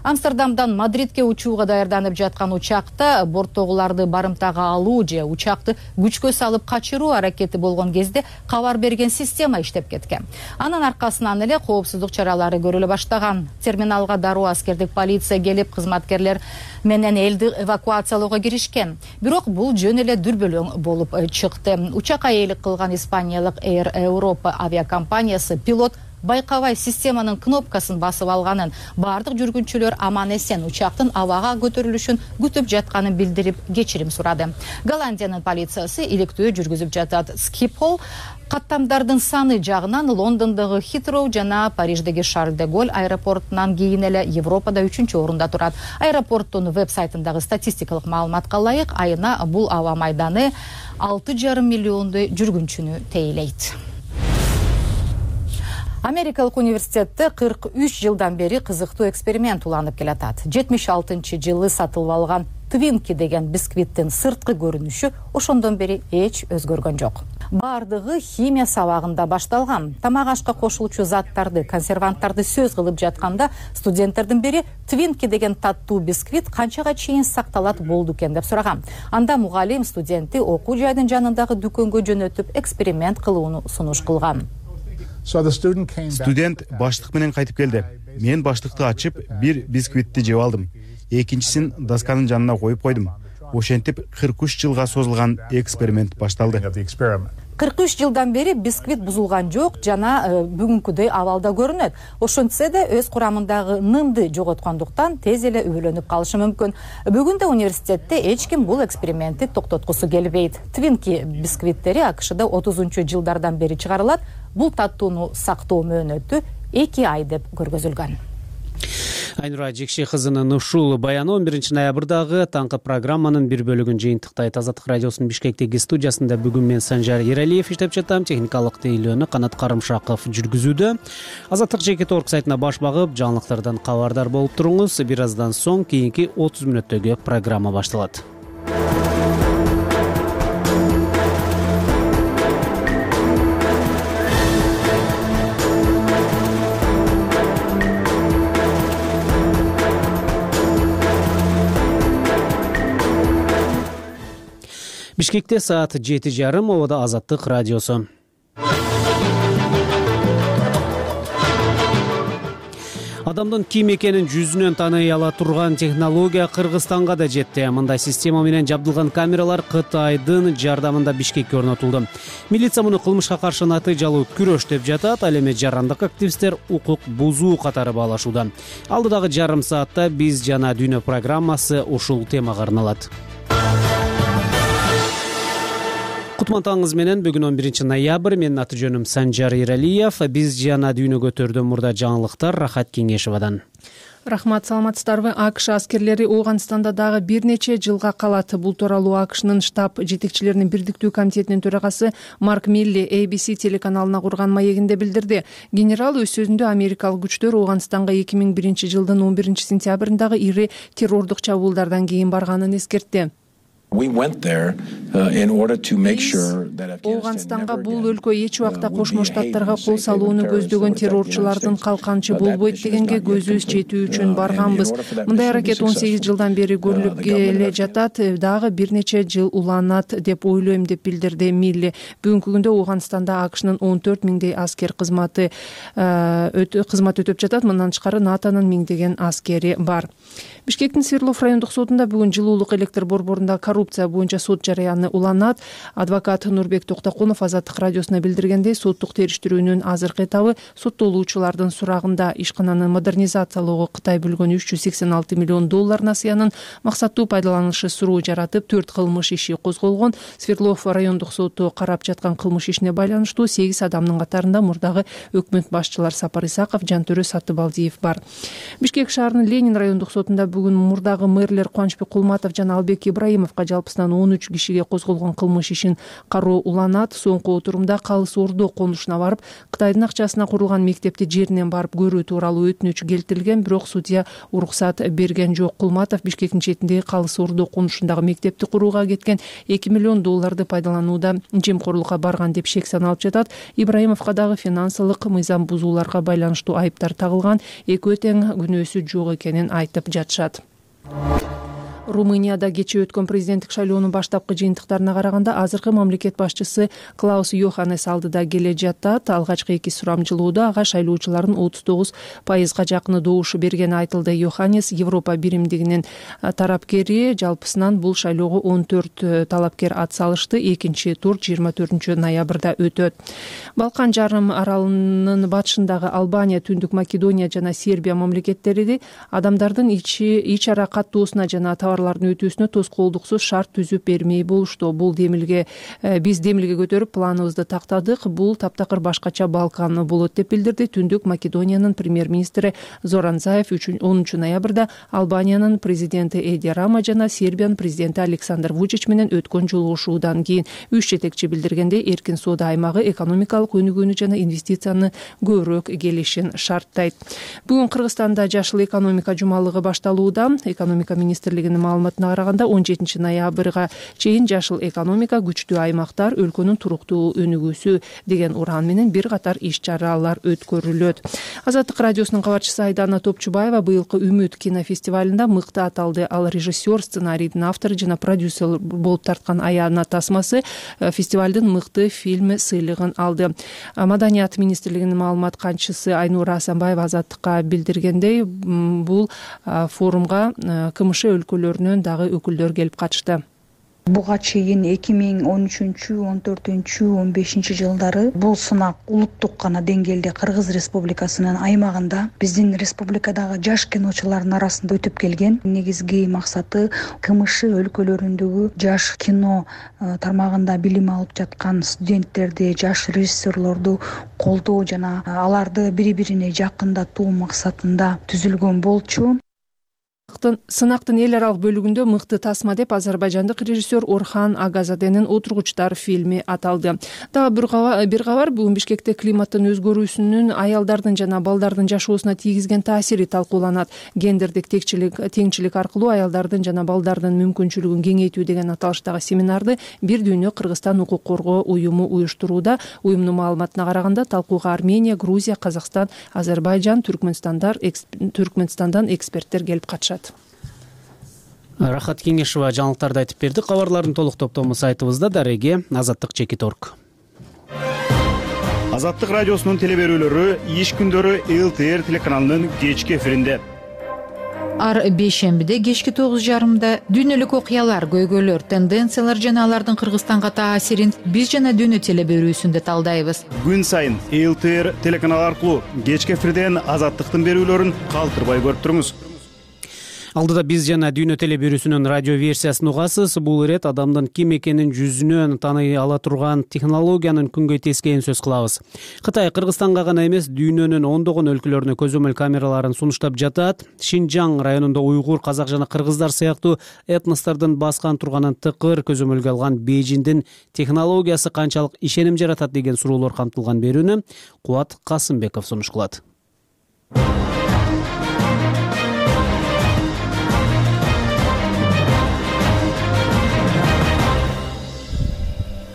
Амстердамдан Мадридке учууга даярданып жаткан учакта борттогуларды барымтага алуу же учакты күчкө салып качыруу аракети болгон кезде кабар берген система иштеп кеткен. Анын аркасынан эле коопсуздук чаралары көрүлө баштаган. Терминалга дароо аскердик полиция келип, кызматкерлер менен элди эвакуациялоого киришкен. Бирок бул жөн эле дүрбөлөң болуп чыкты. Учакка ээлик кылган испаниялык Air Europa авиакомпаниясы пилот байкабай системанын кнопкасын басып алганын, бардык жүргүнчүлөр аман эсен учактын абага көтөрүлүшүн күтүп жатканын билдирип кечирим сурады. Голландиянын полициясы иликтөө жүргүзүп жатат. Скипхол каттамдардын саны жагынан Лондондогу Хитроу жана Париждеги Шарль де Голль аэропортунан кийин эле Европада үчүнчү орунда турат. Аэропорттун веб-сайтындагы статистикалык маалыматка ылайык, айына бул аба майданы алты жарым миллиондой жүргүнчүнү тейлейт. Америкалык университетте кырк үч жылдан бери кызыктуу эксперимент уланып келатат. жетимиш алтынчы жылы сатылып алган Твинки деген бисквиттин сырткы көрүнүшү ошондон бери эч өзгөргөн жок. Бардыгы химия сабагында башталган. Тамак ашка кошулчу заттарды, консерванттарды сөз кылып жатканда студенттердин бири Твинки деген таттуу бисквит канчага чейин сакталат болду экен деп сураган. Анда мугалим студентти окуу жайдын жанындагы дүкөнгө жөнөтүп эксперимент кылууну сунуш кылган. Студент баштык менен кайтып келди. Мен баштыкты ачып, бир бисквитти жеп алдым. Экинчисин досканын жанына коюп койдум. Ошентип кырк үч жылга созулган эксперимент башталды. кырк үч жылдан бери бисквит бузулган жок жана бүгүнкүдөй абалда көрүнөт. Ошентсе да өз курамындагы нымды жоготкондуктан тез эле үбөлөнүп калышы мүмкүн. Бүгүн да университетте эч ким бул экспериментти токтоткусу келбейт. Твинки бисквиттери АКШда отузунчу жылдардан бери чыгарылат. Бул таттууну сактоо мөөнөтү эки ай деп көргөзүлгөн. Айнура Жекше кызынын ушул баяны он биринчи ноябрдагы таңкы программанын бир бөлүгүн жыйынтыктайт. Азаттык радиосунун Бишкектеги студиясында бүгүн мен Санжар Ералиев иштеп жатам. Техникалык тейлөөнү Канат Карымшаков жүргүзүүдө. Азаттык жеке торк сайтына баш багып, жаңылыктардан кабардар болуп туруңуз. Бир аздан соң кийинки отуз мүнөттөгү программа башталат. Бишкекте саат жети жарым, обода Азаттык радиосу. Адамдын ким экенин жүзүнөн тааный ала турган технология Кыргызстанга да жетти. Мындай система менен жабдылган камералар Кытайдын жардамында Бишкекке орнотулду. Милиция муну кылмышка каршы натыйжалуу күрөш деп жатат, ал эми жарандык активисттер укук бузуу катары баалашууда. Алдыдагы жарым саатта биз жана дүйнө программасы ушул темага арналат. Кутман менен бүгүн он биринчи ноябрь, менин аты жөнүм Санжар Иралиев. Биз жана дүйнөгө төрдөн мурда жаңылыктар Рахат Кеңешевадан. Рахмат, саламатсыздарбы? АКШ аскерлери Ооганстанда дагы бир нече жылга калат. Бул тууралуу АКШнын штаб жетекчилеринин бирдиктүү комитетинин төрагасы Марк Милли эй би си телеканалына курган маегинде билдирди. Генерал өз сөзүндө америкалык күчтөр Ооганстанга эки миң биринчи жылдын он биринчи сентябрындагы ири террордук чабуулдардан кийин барганын эскертти. Ооганстанга бул өлкө эч убакта Кошмо Штаттарга кол салууну көздөгөн террорчулардын калканчы болбойт дегенге көзүбүз жетүү үчүн барганбыз. Мындай аракет он сегиз жылдан бери көрүлүп келе жатат, дагы бир нече жыл уланат деп ойлойм, деп билдирди Милли. Бүгүнкү күндө Ооганстанда АКШнын он төрт миңдей аскер кызматы кызмат өтөп жатат. Мындан тышкары НАТОнун миңдеген аскери бар. Бишкектин Свердлов райондук сотунда бүгүн жылуулук электр борборунда коррупция боюнча сот жараяны уланат. Адвокат Нурбек Токтокунов Азаттык радиосуна билдиргендей, соттук териштирүүнүн азыркы этабы соттолуучулардын сурагында ишкананы модернизациялоого Кытай бөлгөн үч жүз сексен алты миллион доллар насыянын максаттуу пайдаланышы суроо жаратып, төрт кылмыш иши козголгон. Свердлов райондук соту карап жаткан кылмыш ишине байланыштуу сегиз адамдын катарында мурдагы өкмөт башчылар Сапар Исаков, Жантөрө Сатыбалдиев бар. Бишкек шаарынын Ленин райондук сотунда бүгүн мурдагы мэрлер Кубанычбек Кулматов жана Албек Ибраимовго жалпысынан он үч кишиге козголгон кылмыш ишин кароо уланат. Соңку отурумда Калыс Ордо конушуна барып, Кытайдын акчасына курулган мектепти жеринен барып көрүү тууралуу өтүнүч келтирилген, бирок судья уруксат берген жок. Кулматов Бишкектин четиндеги Калыс Ордо конушундагы мектепти курууга кеткен эки миллион долларды пайдаланууда жемкорлукка барган деп шек саналып жатат. Ибраимовго дагы финансылык мыйзам бузууларга байланыштуу айыптар тагылган, экөө тең күнөөсү жок экенин айтып жатышат. Румынияда кечээ өткөн президенттик шайлоонун баштапкы жыйынтыктарына караганда азыркы мамлекет башчысы Клаус Йоханнес алдыда келе жатат. Алгачкы эки сурамжылоодо ага шайлоочулардын отуз тогуз пайызга жакыны добуш бергени айтылды. Йоханнес Европа биримдигинин тарапкери, жалпысынан бул шайлоого он төрт талапкер ат салышты. Экинчи тур жыйырма төртүнчү ноябрда өтөт. Балкан жарым аралынын батышындагы Албания, Түндүк Македония жана Сербия мамлекеттери адамдардын ич ара каттоосуна жана товарлардын өтүүсүнө тоскоолдуксуз шарт түзүп бермей болушту. Бул демилге биз демилге көтөрүп планыбызды тактадык. Бул таптакыр башкача Балкан болот деп билдирди Түндүк Македониянын премьер-министри Зоран Заев онунчу ноябрда Албаниянын президенти Эди Рама жана Сербиянын президенти Александр Вучич менен өткөн жолугушуудан кийин. Үч жетекчи билдиргендей, эркин соода аймагы экономикалык өнүгүүнү жана инвестицияны көбүрөөк келишин шарттайт. Бүгүн Кыргызстанда жашыл экономика жумалыгы башталууда. Экономика министрлигинин маалыматына караганда он жетинчи ноябрга чейин жашыл экономика күчтүү аймактар өлкөнүн туруктуу өнүгүүсү деген уран менен бир катар иш чаралар өткөрүлөт. Азаттык радиосунун кабарчысы Айдана Топчубаева быйылкы Үмүт кинофестивалында мыкты аталды. Ал режиссер, сценарийдин автору жана продюсер болуп тарткан Аяна Тасмасы фестивалдын мыкты фильми сыйлыгын алды. Маданият министрлигинин маалымат канчысы Айнура Асанбаева Азаттыкка билдиргендей, бул форумга КМШ өлкөлөрүнөн дагы өкүлдөр келип катышты. Буга чейин эки миң он үчүнчү он төртүнчү он бешинчи жылдары бул сынак улуттук гана деңгээлде Кыргыз Республикасынын аймагында биздин республикадагы жаш киночулардын арасында өтүп келген. Негизги максаты КМШ өлкөлөрүндөгү жаш кино тармагында билим алып жаткан студенттерди, жаш режиссерлорду колдоо жана аларды бири-бирине жакындатуу максатында түзүлгөн болчу. Сынактын эл аралык бөлүгүндө мыкты тасма деп азербайжандык режиссер Орхан Агазаденин Отургучтар фильми аталды. Дагы бир кабар, бүгүн Бишкекте климаттын өзгөрүүсүнүн аялдардын жана балдардын жашоосуна тийгизген таасири талкууланат. Гендердик текчилик, теңчилик аркылуу аялдардын жана балдардын мүмкүнчүлүгүн кеңейтүү деген аталыштагы семинарды Бир дүйнө Кыргызстан укук коргоо уюму уюштурууда. Уюмдун маалыматына караганда талкууга Армения, Грузия, Казакстан, Азербайжан, Түркмөнстандан эксперттер келип катышат. Рахат Кеңешова жаңылыктарды айтып берди. Кабарлардын толук топтому сайтыбызда. Дареге Азаттык чекит орг. Азаттык радиосунун теле берүүлөрү иш күндөрү эл тэ эр телеканалынын кечки эфиринде. Ар бейшембиде кечки тогуз жарымда дүйнөлүк окуялар, көйгөйлөр, тенденциялар жана алардын Кыргызстанга таасирин биз жана дүйнө теле берүүсүндө талдайбыз. Күн сайын эл тэ эр телеканалы аркылуу кечки эфирден Азаттыктын берүүлөрүн калтырбай көрүп туруңуз. Алдыда биз жана дүйнө теле берүүсүнүн радио версиясын угасыз. Бул ирет адамдын ким экенин жүзүнөн тааный ала турган технологиянын күнгөй тескейин сөз кылабыз. Кытай Кыргызстанга гана эмес, дүйнөнүн ондогон өлкөлөрүнө көзөмөл камераларын сунуштап жатат. Шинжаң районунда уйгур, казак жана кыргыздар сыяктуу этностордун баскан турганын тыкыр көзөмөлгө алган Бейжиңдин технологиясы канчалык ишеним жаратат деген суроолор камтылган берүүнү Кубат Касымбеков сунуш кылат.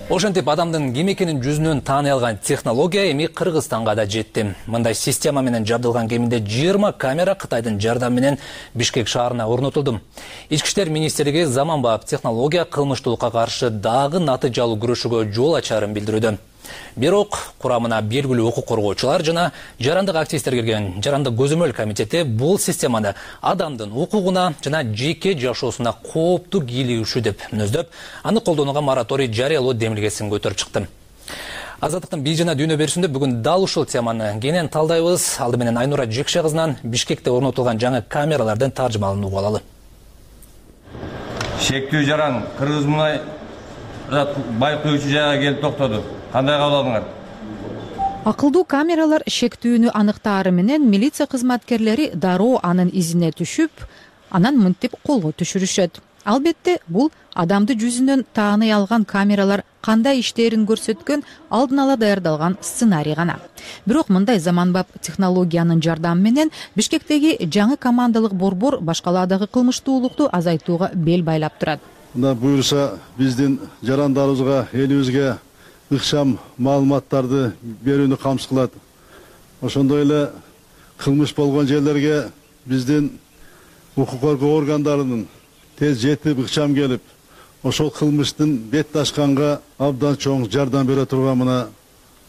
Ошентип адамдын ким экенин жүзүнөн тааный алган технология эми Кыргызстанга да жетти. Мындай система менен жабдылган кеминде жыйырма камера Кытайдын жардамы менен Бишкек шаарына орнотулду. Ички иштер министрлиги заманбап технология кылмыштуулукка каршы дагы натыйжалуу күрөшүүгө жол ачарын билдирүүдө. Бирок курамына белгилүү укук коргоочулар жана жарандык активисттер кирген жарандык көзөмөл комитети бул системаны адамдын укугуна жана жеке жашоосуна кооптуу кийлигишүү деп мүнөздөп, аны колдонууга мораторий жарыялоо демилгесин көтөрүп чыкты. Азаттыктын бий жана дүйнө берүүсүндө бүгүн дал ушул теманы кенен талдайбыз. Алды менен Айнура Жекше кызынан Бишкекте орнотулган жаңы камералардын таржымалын угуп алалы. Шектүү жаран Кыргыз мунай байкоочу жайга келип токтоду. Кандай кабыл алдыңар? Акылдуу камералар шектүүнү аныктаары менен милиция кызматкерлери дароо анын изине түшүп, анан мынтип колго түшүрүшөт. Албетте, бул адамды жүзүнөн тааный алган камералар кандай иштерин көрсөткөн алдын ала даярдалган сценарий гана. Бирок мындай заманбап технологиянын жардамы менен Бишкектеги жаңы командалык борбор башкалаадагы кылмыштуулукту азайтууга бел байлап турат. Мына буюрса биздин жарандарыбызга, элибизге ыкшам маалыматтарды берүүнү камсыз кылат. Ошондой эле кылмыш болгон жерлерге биздин укук коргоо органдарынын тез жетип ыкчам келип, ошол кылмыштын бет ашканга абдан чоң жардам бере турган мына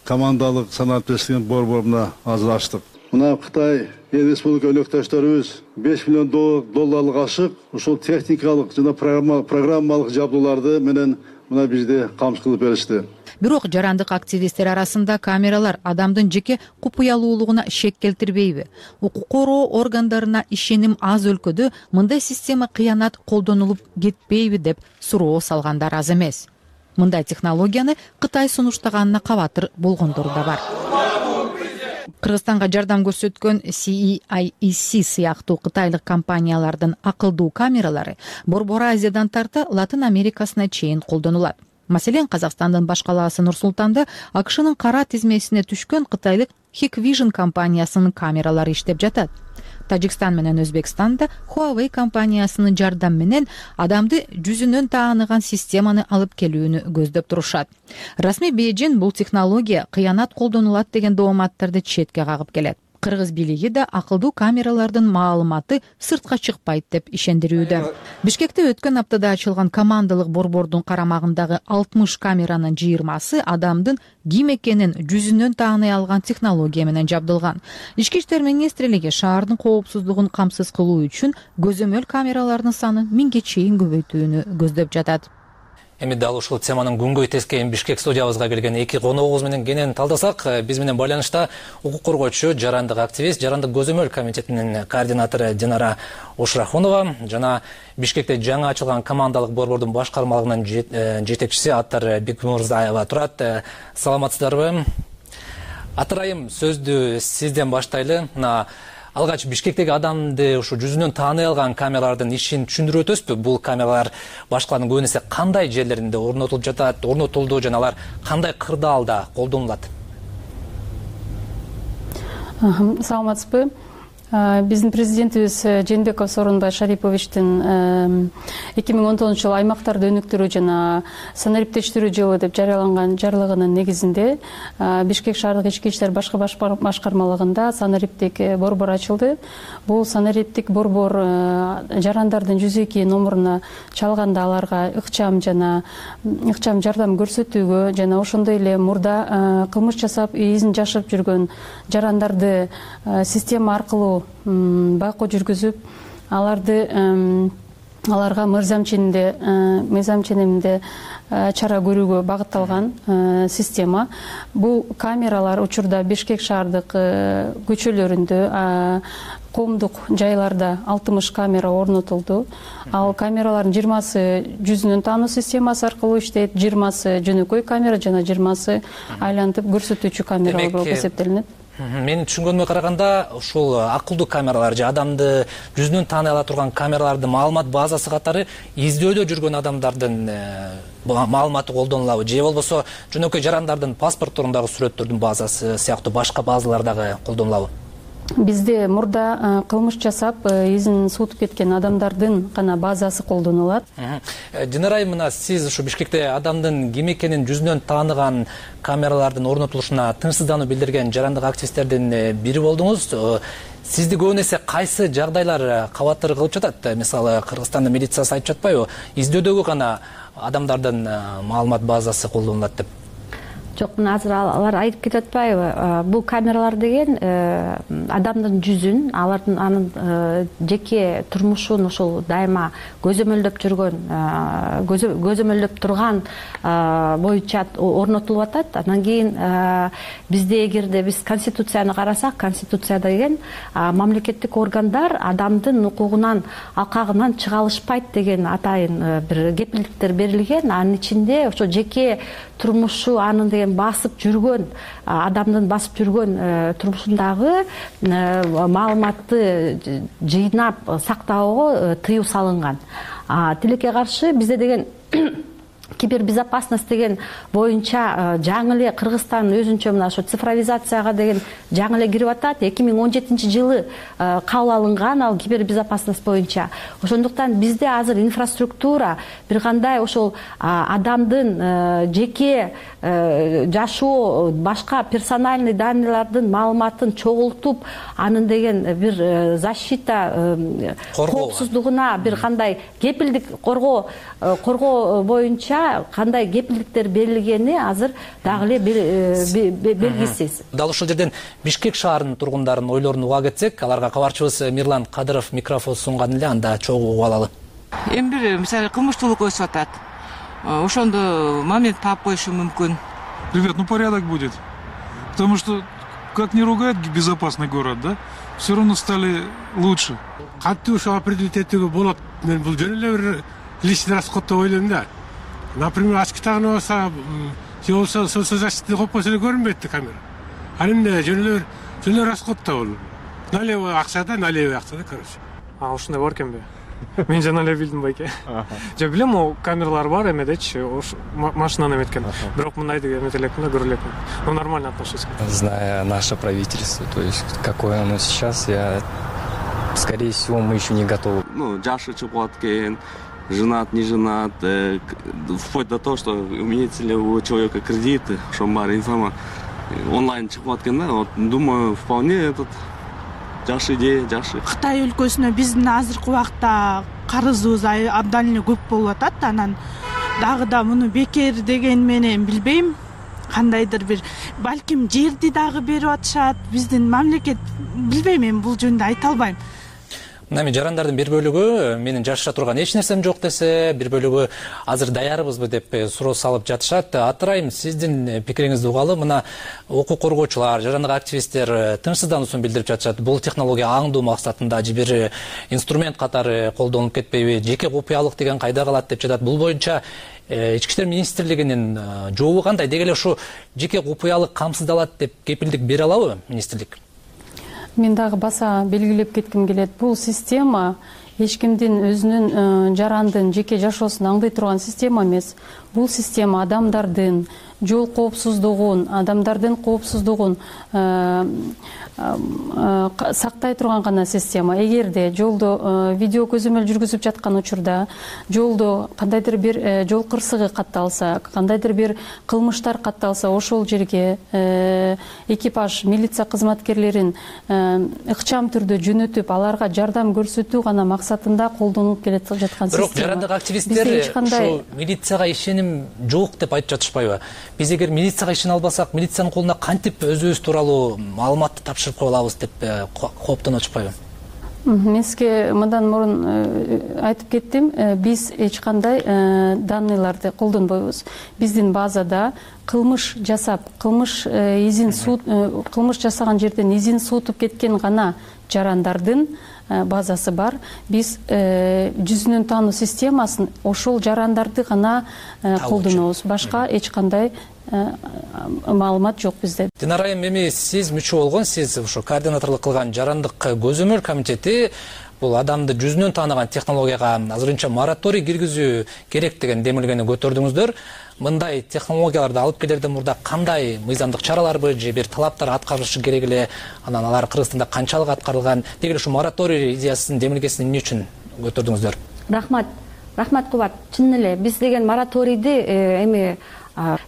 командалык санааттештигин борборуна азыр ачтык. Мына Кытай эл республика өлөктөштөрүбүз беш миллион долларлык ашык ушул техникалык жана программалык жабдууларды менен мына бизди камсыз кылып беришти. Бирок жарандык активисттер арасында камералар адамдын жеке купуялуулугуна шек келтирбейби? Укук коргоо органдарына ишеним аз өлкөдө мындай система кыянат колдонулуп кетпейби деп суроо салгандар аз эмес. Мындай технологияны Кытай сунуштаганына кабатыр болгондор да бар. Кыргызстанга жардам көрсөткөн си и ай и си сыяктуу кытайлык компаниялардын акылдуу камералары Борбор Азиядан тарта Латын Америкасына чейин колдонулат. Маселен, Казакстандын баш калаасы Нур-Султанда А К Шнын кара тизмесине түшкөн кытайлык Hikvision компаниясынын камералары иштеп жатат. Тажикстан менен Өзбекстанда Huawei компаниясынын жардамы менен адамды жүзүнөн тааныган системаны алып келүүнү көздөп турушат. Расмий Бейжиң бул технология кыянат колдонулат деген дооматтарды четке кагып келет. Кыргыз бийлиги да акылдуу камералардын маалыматы сыртка чыкпайт деп ишендирүүдө. Бишкекте өткөн аптада ачылган командалык борбордун карамагындагы алтымыш камеранын жыйырмасы адамдын ким экенин жүзүнөн тааный алган технология менен жабдылган. Ички иштер министрлиги шаардын коопсуздугун камсыз кылуу үчүн көзөмөл камералардын санын миңге чейин көбөйтүүнү көздөп жатат. Эми дал ушул теманын күнгөй тескейин Бишкек студиябызга келген эки коногубуз менен кенен талдасак, биз менен байланышта укук коргоочу, жарандык активист, жарандык көзөмөл комитетинин координатору Динара Ушрахунова жана Бишкекте жаңы ачылган командалык борбордун башкармалыгынын жетекчиси Аттар Бекмурзаева турат. Саламатсыздарбы? Аттар айым, сөздү сизден баштайлы. Алгач Бишкектеги адамды ушу жүзүнөн тааный алган камералардын ишин түшүндүрүп өтөсүзбү? Бул камералар башкалардын көбүн эсе кандай жерлеринде орнотулуп жатат, орнотулду жана алар кандай кырдаалда колдонулат? Саламатсызбы? Биздин президентибиз Жээнбеков Сооронбай Шариповичтин эки миң он тогузунчу жылы аймактарды өнүктүрүү жана санариптештирүү жылы деп жарыяланган жарлыгынын негизинде Бишкек шаардык ички иштер башкы башкармалыгында санариптик борбор ачылды. Бул санариптик борбор жарандардын жүз эки номуруна чалганда аларга ыкчам жана ыкчам жардам көрсөтүүгө жана ошондой эле мурда кылмыш жасап изин жашырып жүргөн жарандарды система аркылуу байкоо жүргүзүп аларды аларга мыйзам ченинде мыйзам ченеминде чара көрүүгө багытталган система. Бул камералар учурда Бишкек шаардык көчөлөрүндө, коомдук жайларда алтымыш камера орнотулду. Ал камералардын жыйырмасы жүзүнөн таануу системасы аркылуу иштейт, жыйырмасы жөнөкөй камера жана жыйырмасы айлантып көрсөтүүчү камералар болуп эсептелинет. Менин түшүнгөнүмө караганда ушул акылдуу камералар же адамды жүзүнөн тааный ала турган камералардын маалымат базасы катары издөөдө жүргөн адамдардын маалыматы колдонулабы же болбосо жөнөкөй жарандардын паспортторундагы сүрөттөрдүн базасы сыяктуу башка базалар дагы колдонулабы? Бизде мурда кылмыш жасап изин суутуп кеткен адамдардын гана базасы колдонулат. Динара айым, мына сиз ушу Бишкекте адамдын ким экенин жүзүнөн тааныган камералардын орнотулушуна тынчсыздануу билдирген жарандык активисттердин бири болдуңуз. Сизди көбүн эсе кайсы жагдайлар кабаттыр кылып жатат? Мисалы, Кыргызстандын милициясы айтып жатпайбы? Издөөдөгү гана адамдардын маалымат базасы колдонулат деп. Жок, мына азыр алар айтып кетип атпайбы? Бул камералар деген адамдын жүзүн, алардын анын жеке турмушун ошол дайыма көзөмөлдөп жүргөн, көзөмөлдөп турган боюнча орнотулуп атат. Анан кийин бизде эгерде биз конституцияны карасак, конституция деген мамлекеттик органдар адамдын укугунан, алкагынан чыга алышпайт деген атайын бир кепилдиктер берилген. Анын ичинде ошо жеке турмушу анын деген басып жүргөн, адамдын басып жүргөн турмушундагы маалыматты жыйнап сактоого тыюу салынган. Тилекке каршы бизде деген кибербезопасность деген боюнча жаңы эле Кыргызстан өзүнчө мына ошо цифровизацияга деген жаңы эле кирип атат. эки миң он жетинчи жылы кабыл алынган ал кибербезопасность боюнча. Ошондуктан бизде азыр инфраструктура бир кандай ошол адамдын жеке жашоо, башка персональный данныйлардын маалыматын чогултуп, анын деген бир защита, коопсуздугуна бир кандай кепилдик коргоо коргоо боюнча кандай кепилдиктер берилгени азыр дагы эле белгисиз. Дал ушул жерден Бишкек шаарынын тургундарын ойлорун уга кетсек, аларга кабарчыбыз Мирлан Кадыров микрофон сунган эле, анда чогуу угуп алалы. Эми бир мисалы кылмыштуулук өсүп атат. Ошондо момент таап коюшу мүмкүн. Ребят, ну порядок будет. Потому что, как не ругать безопасный город, да, все равно стали лучше. Кантип ошо определить этүүгө болот? Мен бул жөн эле бир личный расход деп ойлойм да. Например, ачкытагына болсо, же болсо соцзащита койпосо эле көрүнбөйт да камера. Ал эмне жөн эле жөн эле расход да бул. Налевый акча да, налевый акча да, короче. А ушундай бар экенби? Мен жана эле билдим байке. Жок, билем, о камералар бар эмедечи, машинаны эметкен. Бирок мындайды эмете элекмин да, көрө элекмин. Но нормально отношусь. Зная наше правительство, то есть какое оно сейчас, я, скорее всего, мы еще не готовы. Ну, жашы чыгып аткен, женат, не женат, э, вплоть до того, что имеется ли у человека кредиты, что бар информа онлайн чыгып аткен да. Вот, думаю, вполне этот жакшы идея, жакшы. Кытай өлкөсүнө биздин азыркы убакта карызыбыз абдан эле көп болуп атат. Анан дагы да муну бекер деген менен билбейм. Кандайдыр бир балким жерди дагы берип атышат. Биздин мамлекет билбейм, мен бул жөнүндө айта албайм. Нами жарандардын бир бөлүгү менин жашыра турган эч нерсем жок десе, бир бөлүгү азыр даярбызбы деп суроо салып жатышат. Атырайым, сиздин пикириңизди угалы. Мына укук коргоочулар, жарандык активисттер тынчсыздануусун билдирип жатышат. Бул технология аңдуу максатында же бир инструмент катары колдонулуп кетпейби, жеке купуялык деген кайда калат деп жатат. Бул боюнча Ички иштер министрлигинин жообу кандай? Деги эле ушу жеке купуялык камсыздалат деп кепилдик бере алабы министрлик? Мен дагы баса белгилеп кетким келет. Бул система эч кимдин өзүнүн жарандын жеке жашоосун аңдай турган система эмес. Бул система адамдардын жол коопсуздугун, адамдардын коопсуздугун сактай турган гана система. Эгерде жолдо видео көзөмөл жүргүзүп жаткан учурда жолдо кандайдыр бир жол кырсыгы катталса, кандайдыр бир кылмыштар катталса, ошол жерге экипаж, милиция кызматкерлерин ыкчам түрдө жөнөтүп, аларга жардам көрсөтүү гана максатында колдонулуп келе жаткан система. Бирок жарандык активисттер ушул милицияга ишеним жок деп айтып жатышпайбы? Биз эгер милицияга ишене албасак, милициянын колуна кантип өзүбүз тууралуу маалыматты тапшырып кое алабыз деп кооптонуп атышпайбы? Мен сизге мындан мурун айтып кеттим, биз эч кандай данныйларды колдонбойбуз. Биздин базада кылмыш жасап, кылмыш изин суут, кылмыш жасаган жерден изин суутуп кеткен гана жарандардын базасы бар. Биз жүзүнөн таануу системасын ошол жарандарды гана колдонобуз. Башка эч кандай маалымат жок бизде. Динара айым, эми сиз мүчө болгон, сиз ошо координаторлук кылган жарандык көзөмөл комитети бул адамды жүзүнөн тааныган технологияга азырынча мораторий киргизүү керек деген демилгени көтөрдүңүздөр. Мындай технологияларды алып келерден мурда кандай мыйзамдык чараларбы же бир талаптар аткарылышы керек эле, анан алар Кыргызстанда канчалык аткарылган, деги эле ушу мораторий идеясын, демилгесин эмне үчүн көтөрдүңүздөр? Рахмат. Рахмат Кубат. Чын эле биз деген мораторийди эми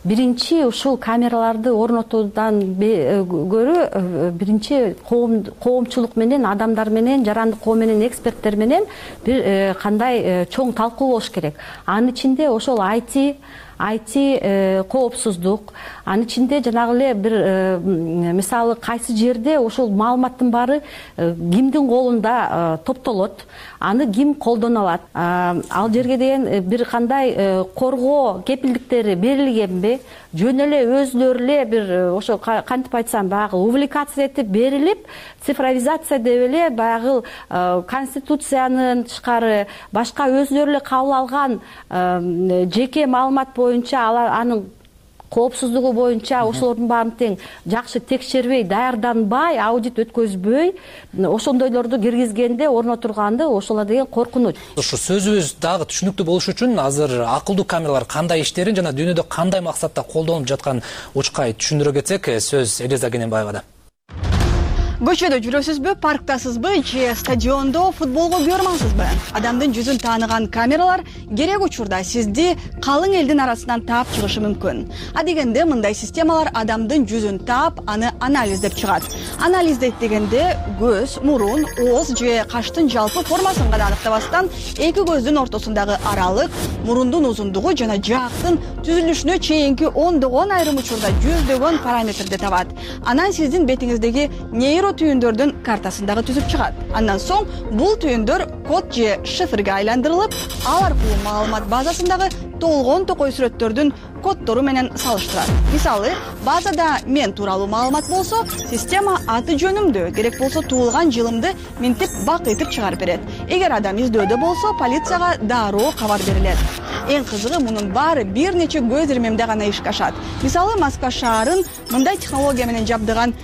биринчи ушул камераларды орнотуудан көрө биринчи коомчулук менен, адамдар менен, жарандык коом менен, эксперттер менен бир кандай чоң талкуу болуш керек. Анын ичинде ошол ай ти ай ти коопсуздук, анын ичинде жанагы эле бир мисалы кайсы жерде ошол маалыматтын баары кимдин колунда топтолот, аны ким колдоно алат, ал жерге деген бир кандай коргоо кепилдиктери берилгенби, жөн эле өзүлөрү эле бир ошо кантип айтсам баягы увлекация этип берилип, цифровизация деп эле баягы конституциянын тышкары башка өзүлөрү эле кабыл алган жеке маалымат боюнча, алар анын коопсуздугу боюнча ошолордун баарын тең жакшы текшербей, даярданбай, аудит өткөзбөй, ошондойлорду киргизгенде орнотурганды ошолор деген коркунуч. Ошо сөзүбүз дагы түшүнүктүү болуш үчүн азыр акылдуу камералар кандай иштерин жана дүйнөдө кандай максатта колдонулуп жатканын учкай түшүндүрө кетсек, сөз Элиза Кененбаевада. Көчөдө жүрөсүзбү, парктасызбы же стадиондо футболго көрмаңсызбы? Адамдын жүзүн тааныган камералар керек учурда сизди калың элдин арасынан таап чыгышы мүмкүн. А дегенде мындай системалар адамдын жүзүн таап, аны анализдеп чыгат. Анализдейт дегенде көз, мурун, ооз же каштын жалпы формасын гана аныктабастан, эки көздүн ортосундагы аралык, мурундун узундугу жана жаактын түзүлүшүнө чейинки ондогон айрым учурда жүздөгөн параметрди табат. Анан сиздин бетиңиздеги нейро түйүндөрдүн картасын дагы түзүп чыгат. Андан соң бул түйүндөр код же шифрге айландырылып, ал аркылуу маалымат базасындагы толгон токой сүрөттөрдүн коддору менен салыштырат. Мисалы, базада мен тууралуу маалымат болсо, система аты жөнүмдү, керек болсо туулган жылымды минтип бак этип чыгарып берет. Эгер адам издөөдө болсо, полицияга дароо кабар берилет. Эң кызыгы, мунун баары бир нече көз ирмемде гана ишке ашат. Мисалы, Москва шаарын мындай технология менен жабдыган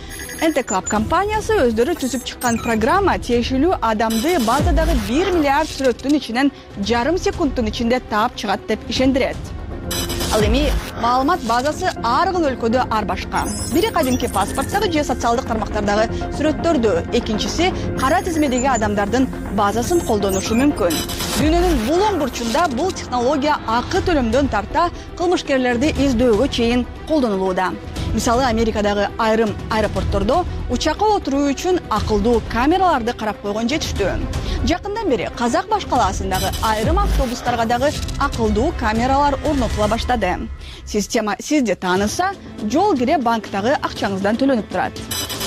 эн тэ Club компаниясы өздөрү түзүп чыккан программа тиешелүү адамды базадагы бир миллиард сүрөттүн ичинен жарым секундтун ичинде таап чыгат деп ишендирет. Ал эми маалымат базасы ар кыл өлкөдө ар башка. Бири кадимки паспорттогу же социалдык тармактардагы сүрөттөрдү, экинчиси кара тизмедеги адамдардын базасын колдонушу мүмкүн. Дүйнөнүн бул оң бурчунда бул технология акы төлөмдөн тарта кылмышкерлерди издөөгө чейин колдонулууда. Мисалы, Америкадагы айрым аэропорттордо учакка отуруу үчүн акылдуу камераларды карап койгон жетиштүү. Жакындан бери Казак баш калаасындагы айрым автобустарга дагы акылдуу камералар орнотула баштады. Система сизди тааныса, жол кире банктагы акчаңыздан төлөнүп турат.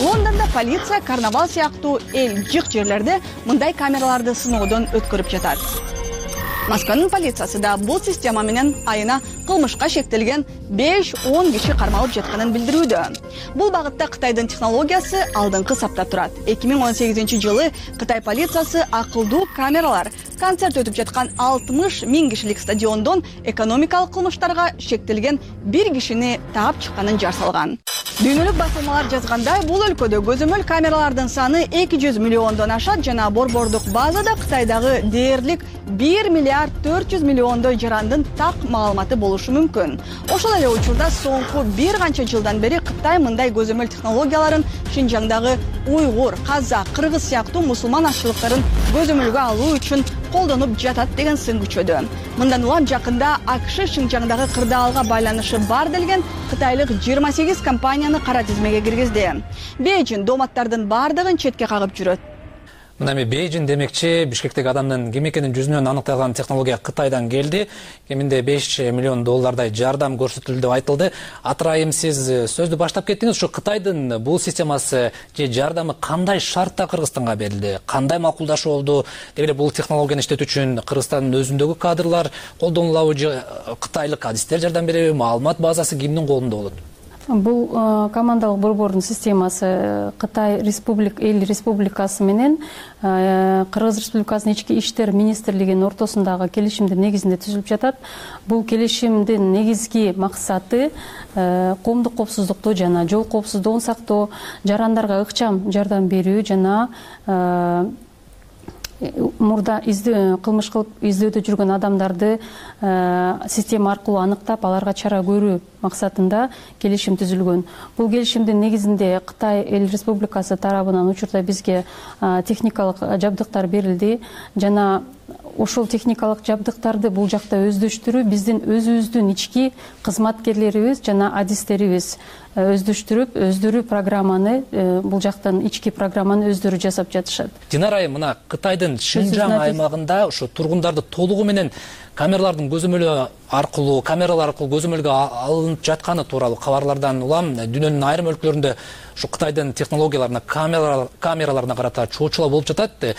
Лондондо полиция карнавал сыяктуу эл жык жерлерде мындай камераларды сыноодон өткөрүп жатат. Москванын полициясы да бул система менен айына кылмышка шектелген беш-он киши кармалып жатканын билдирүүдө. Бул багытта Кытайдын технологиясы алдыңкы сапта турат. эки миң он сегизинчи жылы Кытай полициясы акылдуу камералар концерт өтүп жаткан алтымыш миң кишилик стадиондон экономикалык кылмыштарга шектелген бир кишини таап чыкканын жар салган. Дүйнөлүк басылмалар жазгандай, бул өлкөдө көзөмөл камералардын саны эки жүз миллиондон ашат жана борбордук базада Кытайдагы дээрлик бир миллиард төрт жүз миллиондой жарандын так маалыматы болушу мүмкүн. Ошол эле учурда соңку бир канча жылдан бери Кытай мындай көзөмөл технологияларын Шинжаңдагы уйгур, казак, кыргыз сыяктуу мусулман ашчылыктарын көзөмөлгө алуу үчүн колдонуп жатат деген сын күчөдө. Мындан улам жакында АКШ Шинжаңдагы кырдаалга байланышы бар делген кытайлык жыйырма сегиз компанияны кара тизмеге киргизди. Бейжин дооматтардын бардыгын четке кагып жүрөт. Мына эми Бейжин демекчи Бишкектеги адамдын ким экенин жүзүнөн аныкталган технология Кытайдан келди. Кеминде беш миллион доллардай жардам көрсөтүлдү деп айтылды. Атырайым, сиз сөздү баштап кеттиңиз. Ушу Кытайдын бул системасы же жардамы кандай шартта Кыргызстанга берилди? Кандай макулдашуу болду? Деги эле бул технологияны иштетүү үчүн Кыргызстандын өзүндөгү кадрлар колдонулабы же кытайлык адистер жардам береби? Маалымат базасы кимдин колунда болот? Бул командалык борбордун системасы Кытай Республик эл республикасы менен Кыргыз Республикасынын ички иштер министрлигинин ортосундагы келишимдин негизинде түзүлүп жатат. Бул келишимдин негизги максаты коомдук коопсуздукту жана жол коопсуздугун сактоо, жарандарга ыкчам жардам берүү жана мурда издөө кылмыш кылып издөөдө жүргөн адамдарды система аркылуу аныктап, аларга чара көрүү максатында келишим түзүлгөн. Бул келишимдин негизинде Кытай эл республикасы тарабынан учурда бизге техникалык жабдыктар берилди жана ошол техникалык жабдыктарды бул жакта өздөштүрүү биздин өзүбүздүн ички кызматкерлерибиз жана адистерибиз өздөштүрүп, өздөрү программаны, бул жактан ички программаны өздөрү жасап жатышат. Динара айым, мына Кытайдын Шинжаң аймагында ушу тургундарды толугу менен камералардын көзөмөлү аркылуу, камералар аркылуу көзөмөлгө алынып жатканы тууралуу кабарлардан улам дүйнөнүн айрым өлкөлөрүндө ушу Кытайдын технологияларына, камераларына карата чоочулар болуп жатат.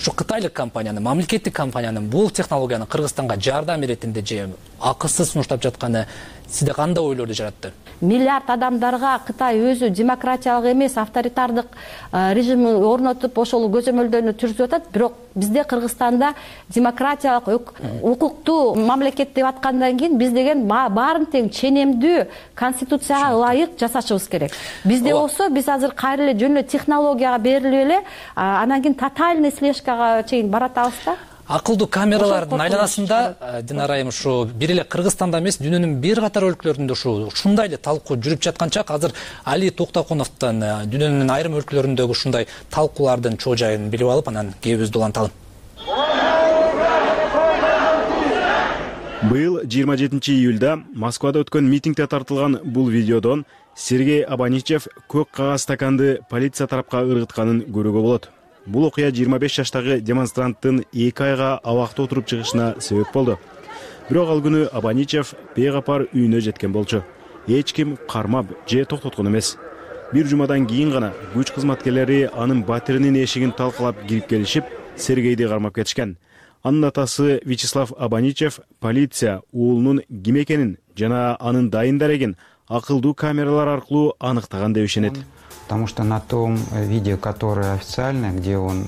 Ушу кытайлык компаниянын, мамлекеттик компаниянын бул технологияны Кыргызстанга жардам иретинде же акысыз сунуштап жатканы сизде кандай ойлорду жаратты? Миллиард адамдарга Кытай өзү демократиялык эмес, авторитардык режимин орнотуп, ошол көзөмөлдөрүнү түрзүп атат. Бирок бизде Кыргызстанда демократиялык, укуктуу мамлекет деп аткандан кийин биз деген баарын тең ченемдүү конституцияга ылайык жасашыбыз керек. Бизде болсо биз азыр кайра эле жөн эле технологияга берилип эле, анан кийин тотальный слежкага чейин баратабыз да. Акылдуу камералардын айланасында Динара айым ушу бир эле Кыргызстанда эмес, дүйнөнүн бир катар өлкөлөрүндө ушу ушундай эле талкуу жүрүп жаткан чак. Азыр Али Токтокуновдон дүйнөнүн айрым өлкөлөрүндөгү ушундай талкуулардын чоо жайын билип алып, анан кебибизди уланталы. Быйыл жыйырма жетинчи июлда Москвада өткөн митингде тартылган бул видеодон Сергей Абаничев көк кагаз стаканды полиция тарапка ыргытканын көрүүгө болот. Бул окуя жыйырма беш жаштагы демонстранттын эки айга абакта отуруп чыгышына себеп болду. Бирок ал күнү Абаничев бейгапар үйүнө жеткен болчу. Эч ким кармап же токтоткон эмес. Бир жумадан кийин гана күч кызматкерлери анын батиринин эшигин талкалап кирип келишип, Сергейди кармап кетишкен. Анын атасы Вячеслав Абаничев полиция уулунун ким экенин жана анын дайын дарегин акылдуу камералар аркылуу аныктаган деп ишенет. Потому что на том видео, которое официальное, где он...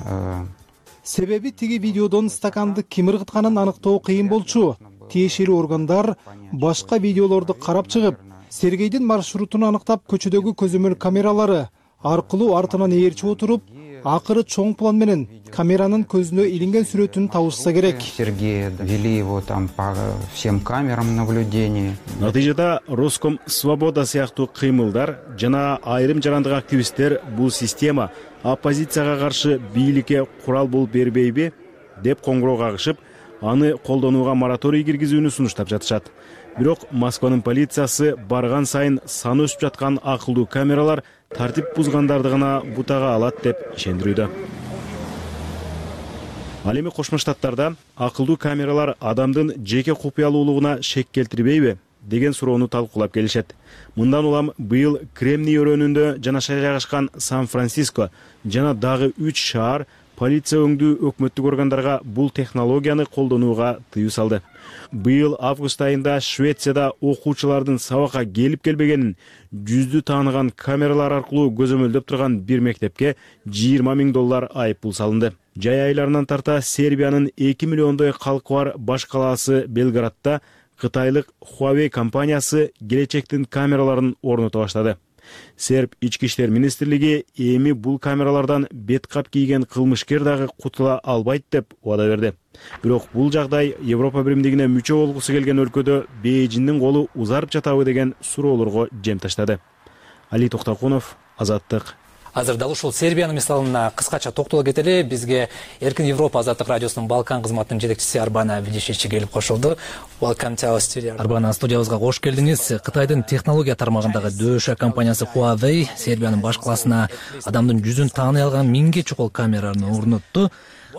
Себеби тиги видеодон стаканды ким ыргытканын аныктоо кыйын болчу. Тиешелүү органдар башка видеолорду карап чыгып, Сергейдин маршрутун аныктап, көчөдөгү көзөмөл камералары аркылуу артынан ээрчип отуруп, акыры чоң план менен камеранын көзүнө илинген сүрөтүн табышса керек. Сергея вели его там по всем камерам наблюдения. Натыйжада Роском Свобода сыяктуу кыймылдар жана айрым жарандык активисттер бул система оппозицияга каршы бийликке курал болуп бербейби деп коңгуроо кагышып, аны колдонууга мораторий киргизүүнү сунуштап жатышат. Бирок Москванын полициясы барган сайын саны өсүп жаткан акылдуу камералар тартип бузгандарды гана бутага алат деп ишендирүүдө. Ал эми Кошмо Штаттарда акылдуу камералар адамдын жеке купуялуулугуна шек келтирбейби деген суроону талкуулап келишет. Мындан улам быйыл Кремний өрөөнүндө жанаша жайгашкан Сан-Франциско жана дагы үч шаар полиция өңдүү өкмөттүк органдарга бул технологияны колдонууга тыюу салды. Быйыл август айында Швецияда окуучулардын сабакка келип келбегенин жүздү тааныган камералар аркылуу көзөмөлдөп турган бир мектепке жыйырма миң доллар айыппул салынды. Жай айларынан тарта Сербиянын эки миллиондой калкы бар баш калаасы Белградда кытайлык Huawei компаниясы келечектин камераларын орното баштады. Серб ички иштер министрлиги эми бул камералардан бет кап кийген кылмышкер дагы кутула албайт деп убада берди. Бирок бул жагдай Европа биримдигине мүчө болгусу келген өлкөдө Бейжиңдин колу узарып жатабы деген суроолорго жем таштады. Али Токтокунов, Азаттык. Азыр дал ушул Сербиянын мисалына кыскача токтоло кетели. Бизге Эркин Европа Азаттык радиосунун Балкан кызматынын жетекчиси Арбана Видишичи келип кошулду. Welcome to our studio. Арбана, студиябызга кош келдиңиз. Кытайдын технология тармагындагы дөшө компаниясы Huawei Сербиянын баш калаасына адамдын жүзүн тааный алган миңге чукул камераны орнотту.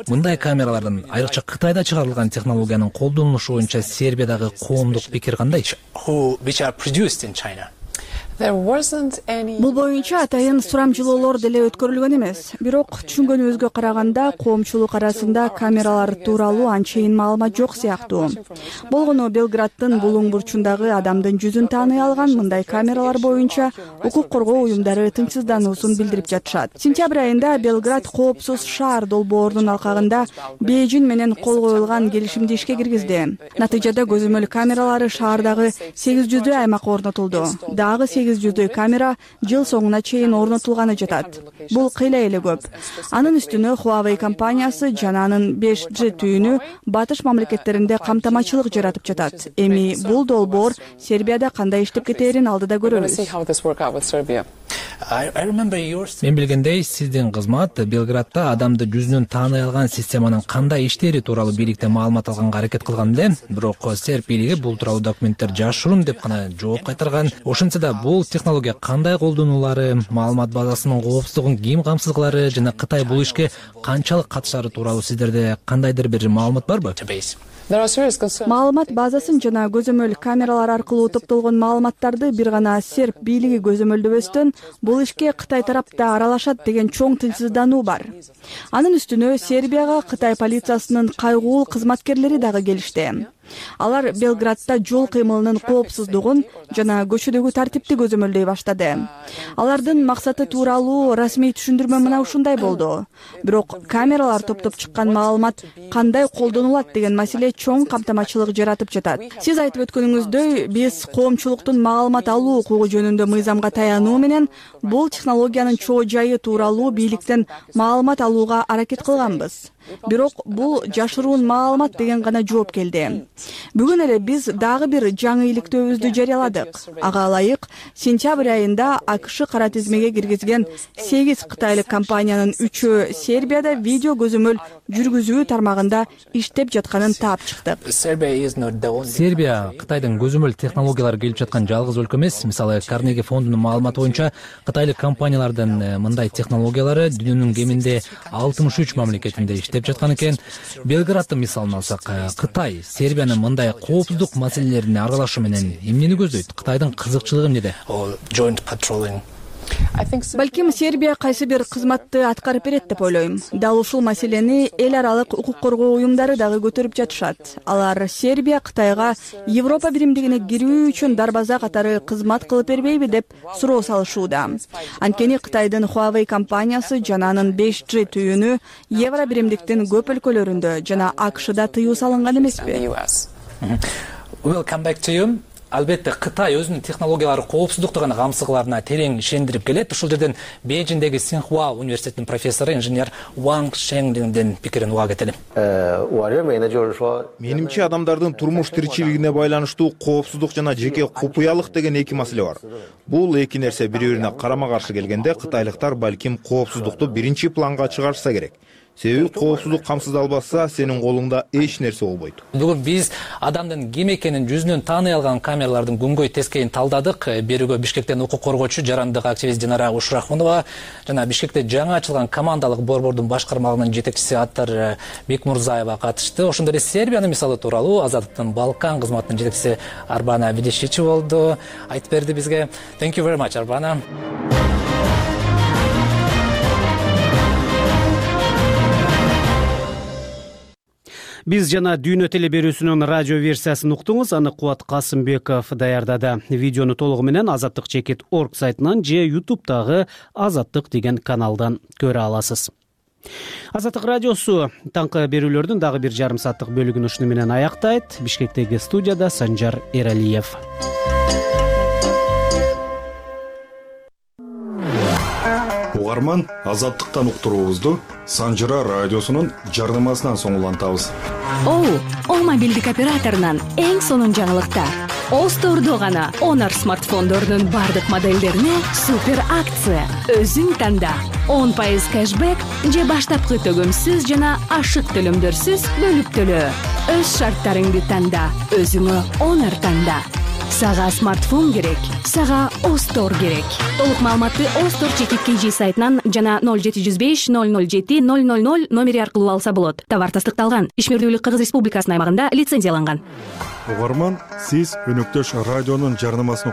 Мындай камералардын айрыкча Кытайда чыгарылган технологиянын колдонулушу боюнча Сербиядагы коомдук пикир кандай? Which are produced in China. Бул боюнча атайын сурамжылоолор деле өткөрүлгөн эмес. Бирок түшүнгөнүбүзгө караганда коомчулук арасында камералар тууралуу анчейин маалымат жок сыяктуу. Болгону Белграддын булуң бурчундагы адамдын жүзүн тааный алган мындай камералар боюнча укук коргоо уюмдары тынчсыздануусун билдирип жатышат. Сентябрь айында Белград коопсуз шаар долбоорунун алкагында Бейжиң менен кол коюлган келишимди ишке киргизди. Натыйжада көзөмөл камералары шаардагы сегиз жүздөй аймакка орнотулду. Дагы сегиз жүздөй камера жыл соңуна чейин орнотулганы жатат. Бул кыйла эле көп. Анын үстүнө Huawei компаниясы жана анын беш джи түйүнү батыш мамлекеттеринде камтамачылык жаратып жатат. Эми бул долбоор Сербияда кандай иштеп кетээрин алдыда көрөбүз. Мен билгендей, сиздин кызмат Белградда адамды жүзүнөн тааный алган системанын кандай иштери тууралуу бийликтен маалымат алганга аракет кылган эле. Бирок Серб бийлиги бул тууралуу документтер жашыруун деп гана жооп кайтарган. Ошентсе да бул технология кандай колдонулары, маалымат базасынын коопсуздугун ким камсыз кылары жана Кытай бул ишке канчалык катышары тууралуу сиздерде кандайдыр бир маалымат барбы? Маалымат базасын жана көзөмөл камералар аркылуу топтолгон маалыматтарды бир гана серб бийлиги көзөмөлдөбөстөн бул ишке Кытай тарапта аралашат деген чоң тынчсыздануу бар. Анын үстүнө Сербияга Кытай полициясынын кайгуул кызматкерлери дагы келишти. Алар Белградда жол кыймылынын коопсуздугун жана көчөдөгү тартипти көзөмөлдөй баштады. Алардын максаты тууралуу расмий түшүндүрмө мына ушундай болду. Бирок камералар топтоп чыккан маалымат кандай колдонулат деген маселе чоң камтамачылык жаратып жатат. Сиз айтып өткөнүңүздөй, биз коомчулуктун маалымат алуу укугу жөнүндө мыйзамга таянуу менен бул технологиянын чоо жайы тууралуу бийликтен маалымат алууга аракет кылганбыз. Бирок бул жашыруун маалымат деген гана жооп келди. Бүгүн эле биз дагы бир жаңы иликтөөбүздү жарыяладык. Ага ылайык сентябрь айында АКШ кара тизмеге киргизген сегиз кытайлык компаниянын үчөө Сербияда видео көзөмөл жүргүзүү тармагында иштеп жатканын таап чыктык. Сербия Кытайдын көзөмөл технологиялары келип жаткан жалгыз өлкө эмес. Мисалы, Карнеги фондунун маалыматы боюнча кытайлык компаниялардын мындай технологиялары дүйнөнүн кеминде алтымыш үч мамлекетинде иштеп жаткан экен. Белграддын мисалын алсак, Кытай Сербиянын мындай коопсуздук маселелерине аралашуу менен эмнени көздөйт? Кытайдын кызыкчылыгы эмнеде? Балким Сербия кайсы бир кызматты аткарып берет деп ойлойм. Дал ушул маселени эл аралык укук коргоо уюмдары дагы көтөрүп жатышат. Алар Сербия Кытайга Европа биримдигине кирүү үчүн дарбаза катары кызмат кылып бербейби деп суроо салышууда. Анткени Кытайдын Huawei компаниясы жана анын беш джи түйүнү Евро биримдиктин көп өлкөлөрүндө жана АКШда тыюу салынган эмеспи? Албетте Кытай өзүнүн технологиялары коопсуздуктугун камсыздыкларына терең ишендирип келет. Ушул жерден Бейжиңдеги Синхуа университетинин профессору инженер Ванг Шеңдиндин пикирин уга кетели. Менимче адамдардын турмуш тиричилигине байланыштуу коопсуздук жана жеке купуялык деген эки маселе бар. Бул эки нерсе бири-бирине карама-каршы келгенде кытайлыктар балким коопсуздукту биринчи планга чыгарышса керек. Себеби коопсуздук камсыздалбаса, сенин колуңда эч нерсе болбойт. Бүгүн биз адамдын ким экенин жүзүнөн тааный алган камералардын күнгөй тескейин талдадык. Берүүгө Бишкектен укук коргоочу, жарандык активист Динара Ушрахунова жана Бишкекте жаңы ачылган командалык борбордун башкармалыгынын жетекчиси Аттар Бекмурзаева катышты. Ошондой эле Сербиянын мисалы тууралуу Азаттыктын Балкан кызматынын жетекчиси Арбана Видишичи болду. Айтып берди бизге. Thank you very much, Арбана. Биз жана Дүйнө теле берүүсүнүн радио версиясын уктуңуз. Аны Кубат Касымбеков даярдады. Видеону толугу менен азаттык чекит точка орг сайтынан же ютубтагы Азаттык деген каналдан көрө аласыз. Азаттык радиосу таңкы берүүлөрдүн дагы бир жарым сааттык бөлүгүн ушуну менен аяктайт. Бишкектеги студияда Санжар Эралиев. угарман, азаттыктан уктуруубузду Санжыра радиосунун жарнамасынан соң улантабыз. Оу, О мобилдик операторунан эң сонун жаңылыктар. О Store'до гана Honor смартфондорунун бардык моделдерине супер акция. Өзүң танда. он пайыз кэшбэк же баштапкы төгөмсүз жана ашык төлөмдөрсүз бөлүп төлөө. Өз шарттарыңды танда, өзүңө Honor танда. Сага смартфон керек, сага О Store керек. Толук маалыматты О Store чекит кей жи сайтынан жана ноль жети жүз беш ноль ноль жети ноль ноль ноль номери аркылуу алса болот. Товар тастыкталган. Ишмердүүлүк Кыргыз Республикасынын аймагында лицензияланган. Угарман, сиз өнөктөш радионун жарнамасын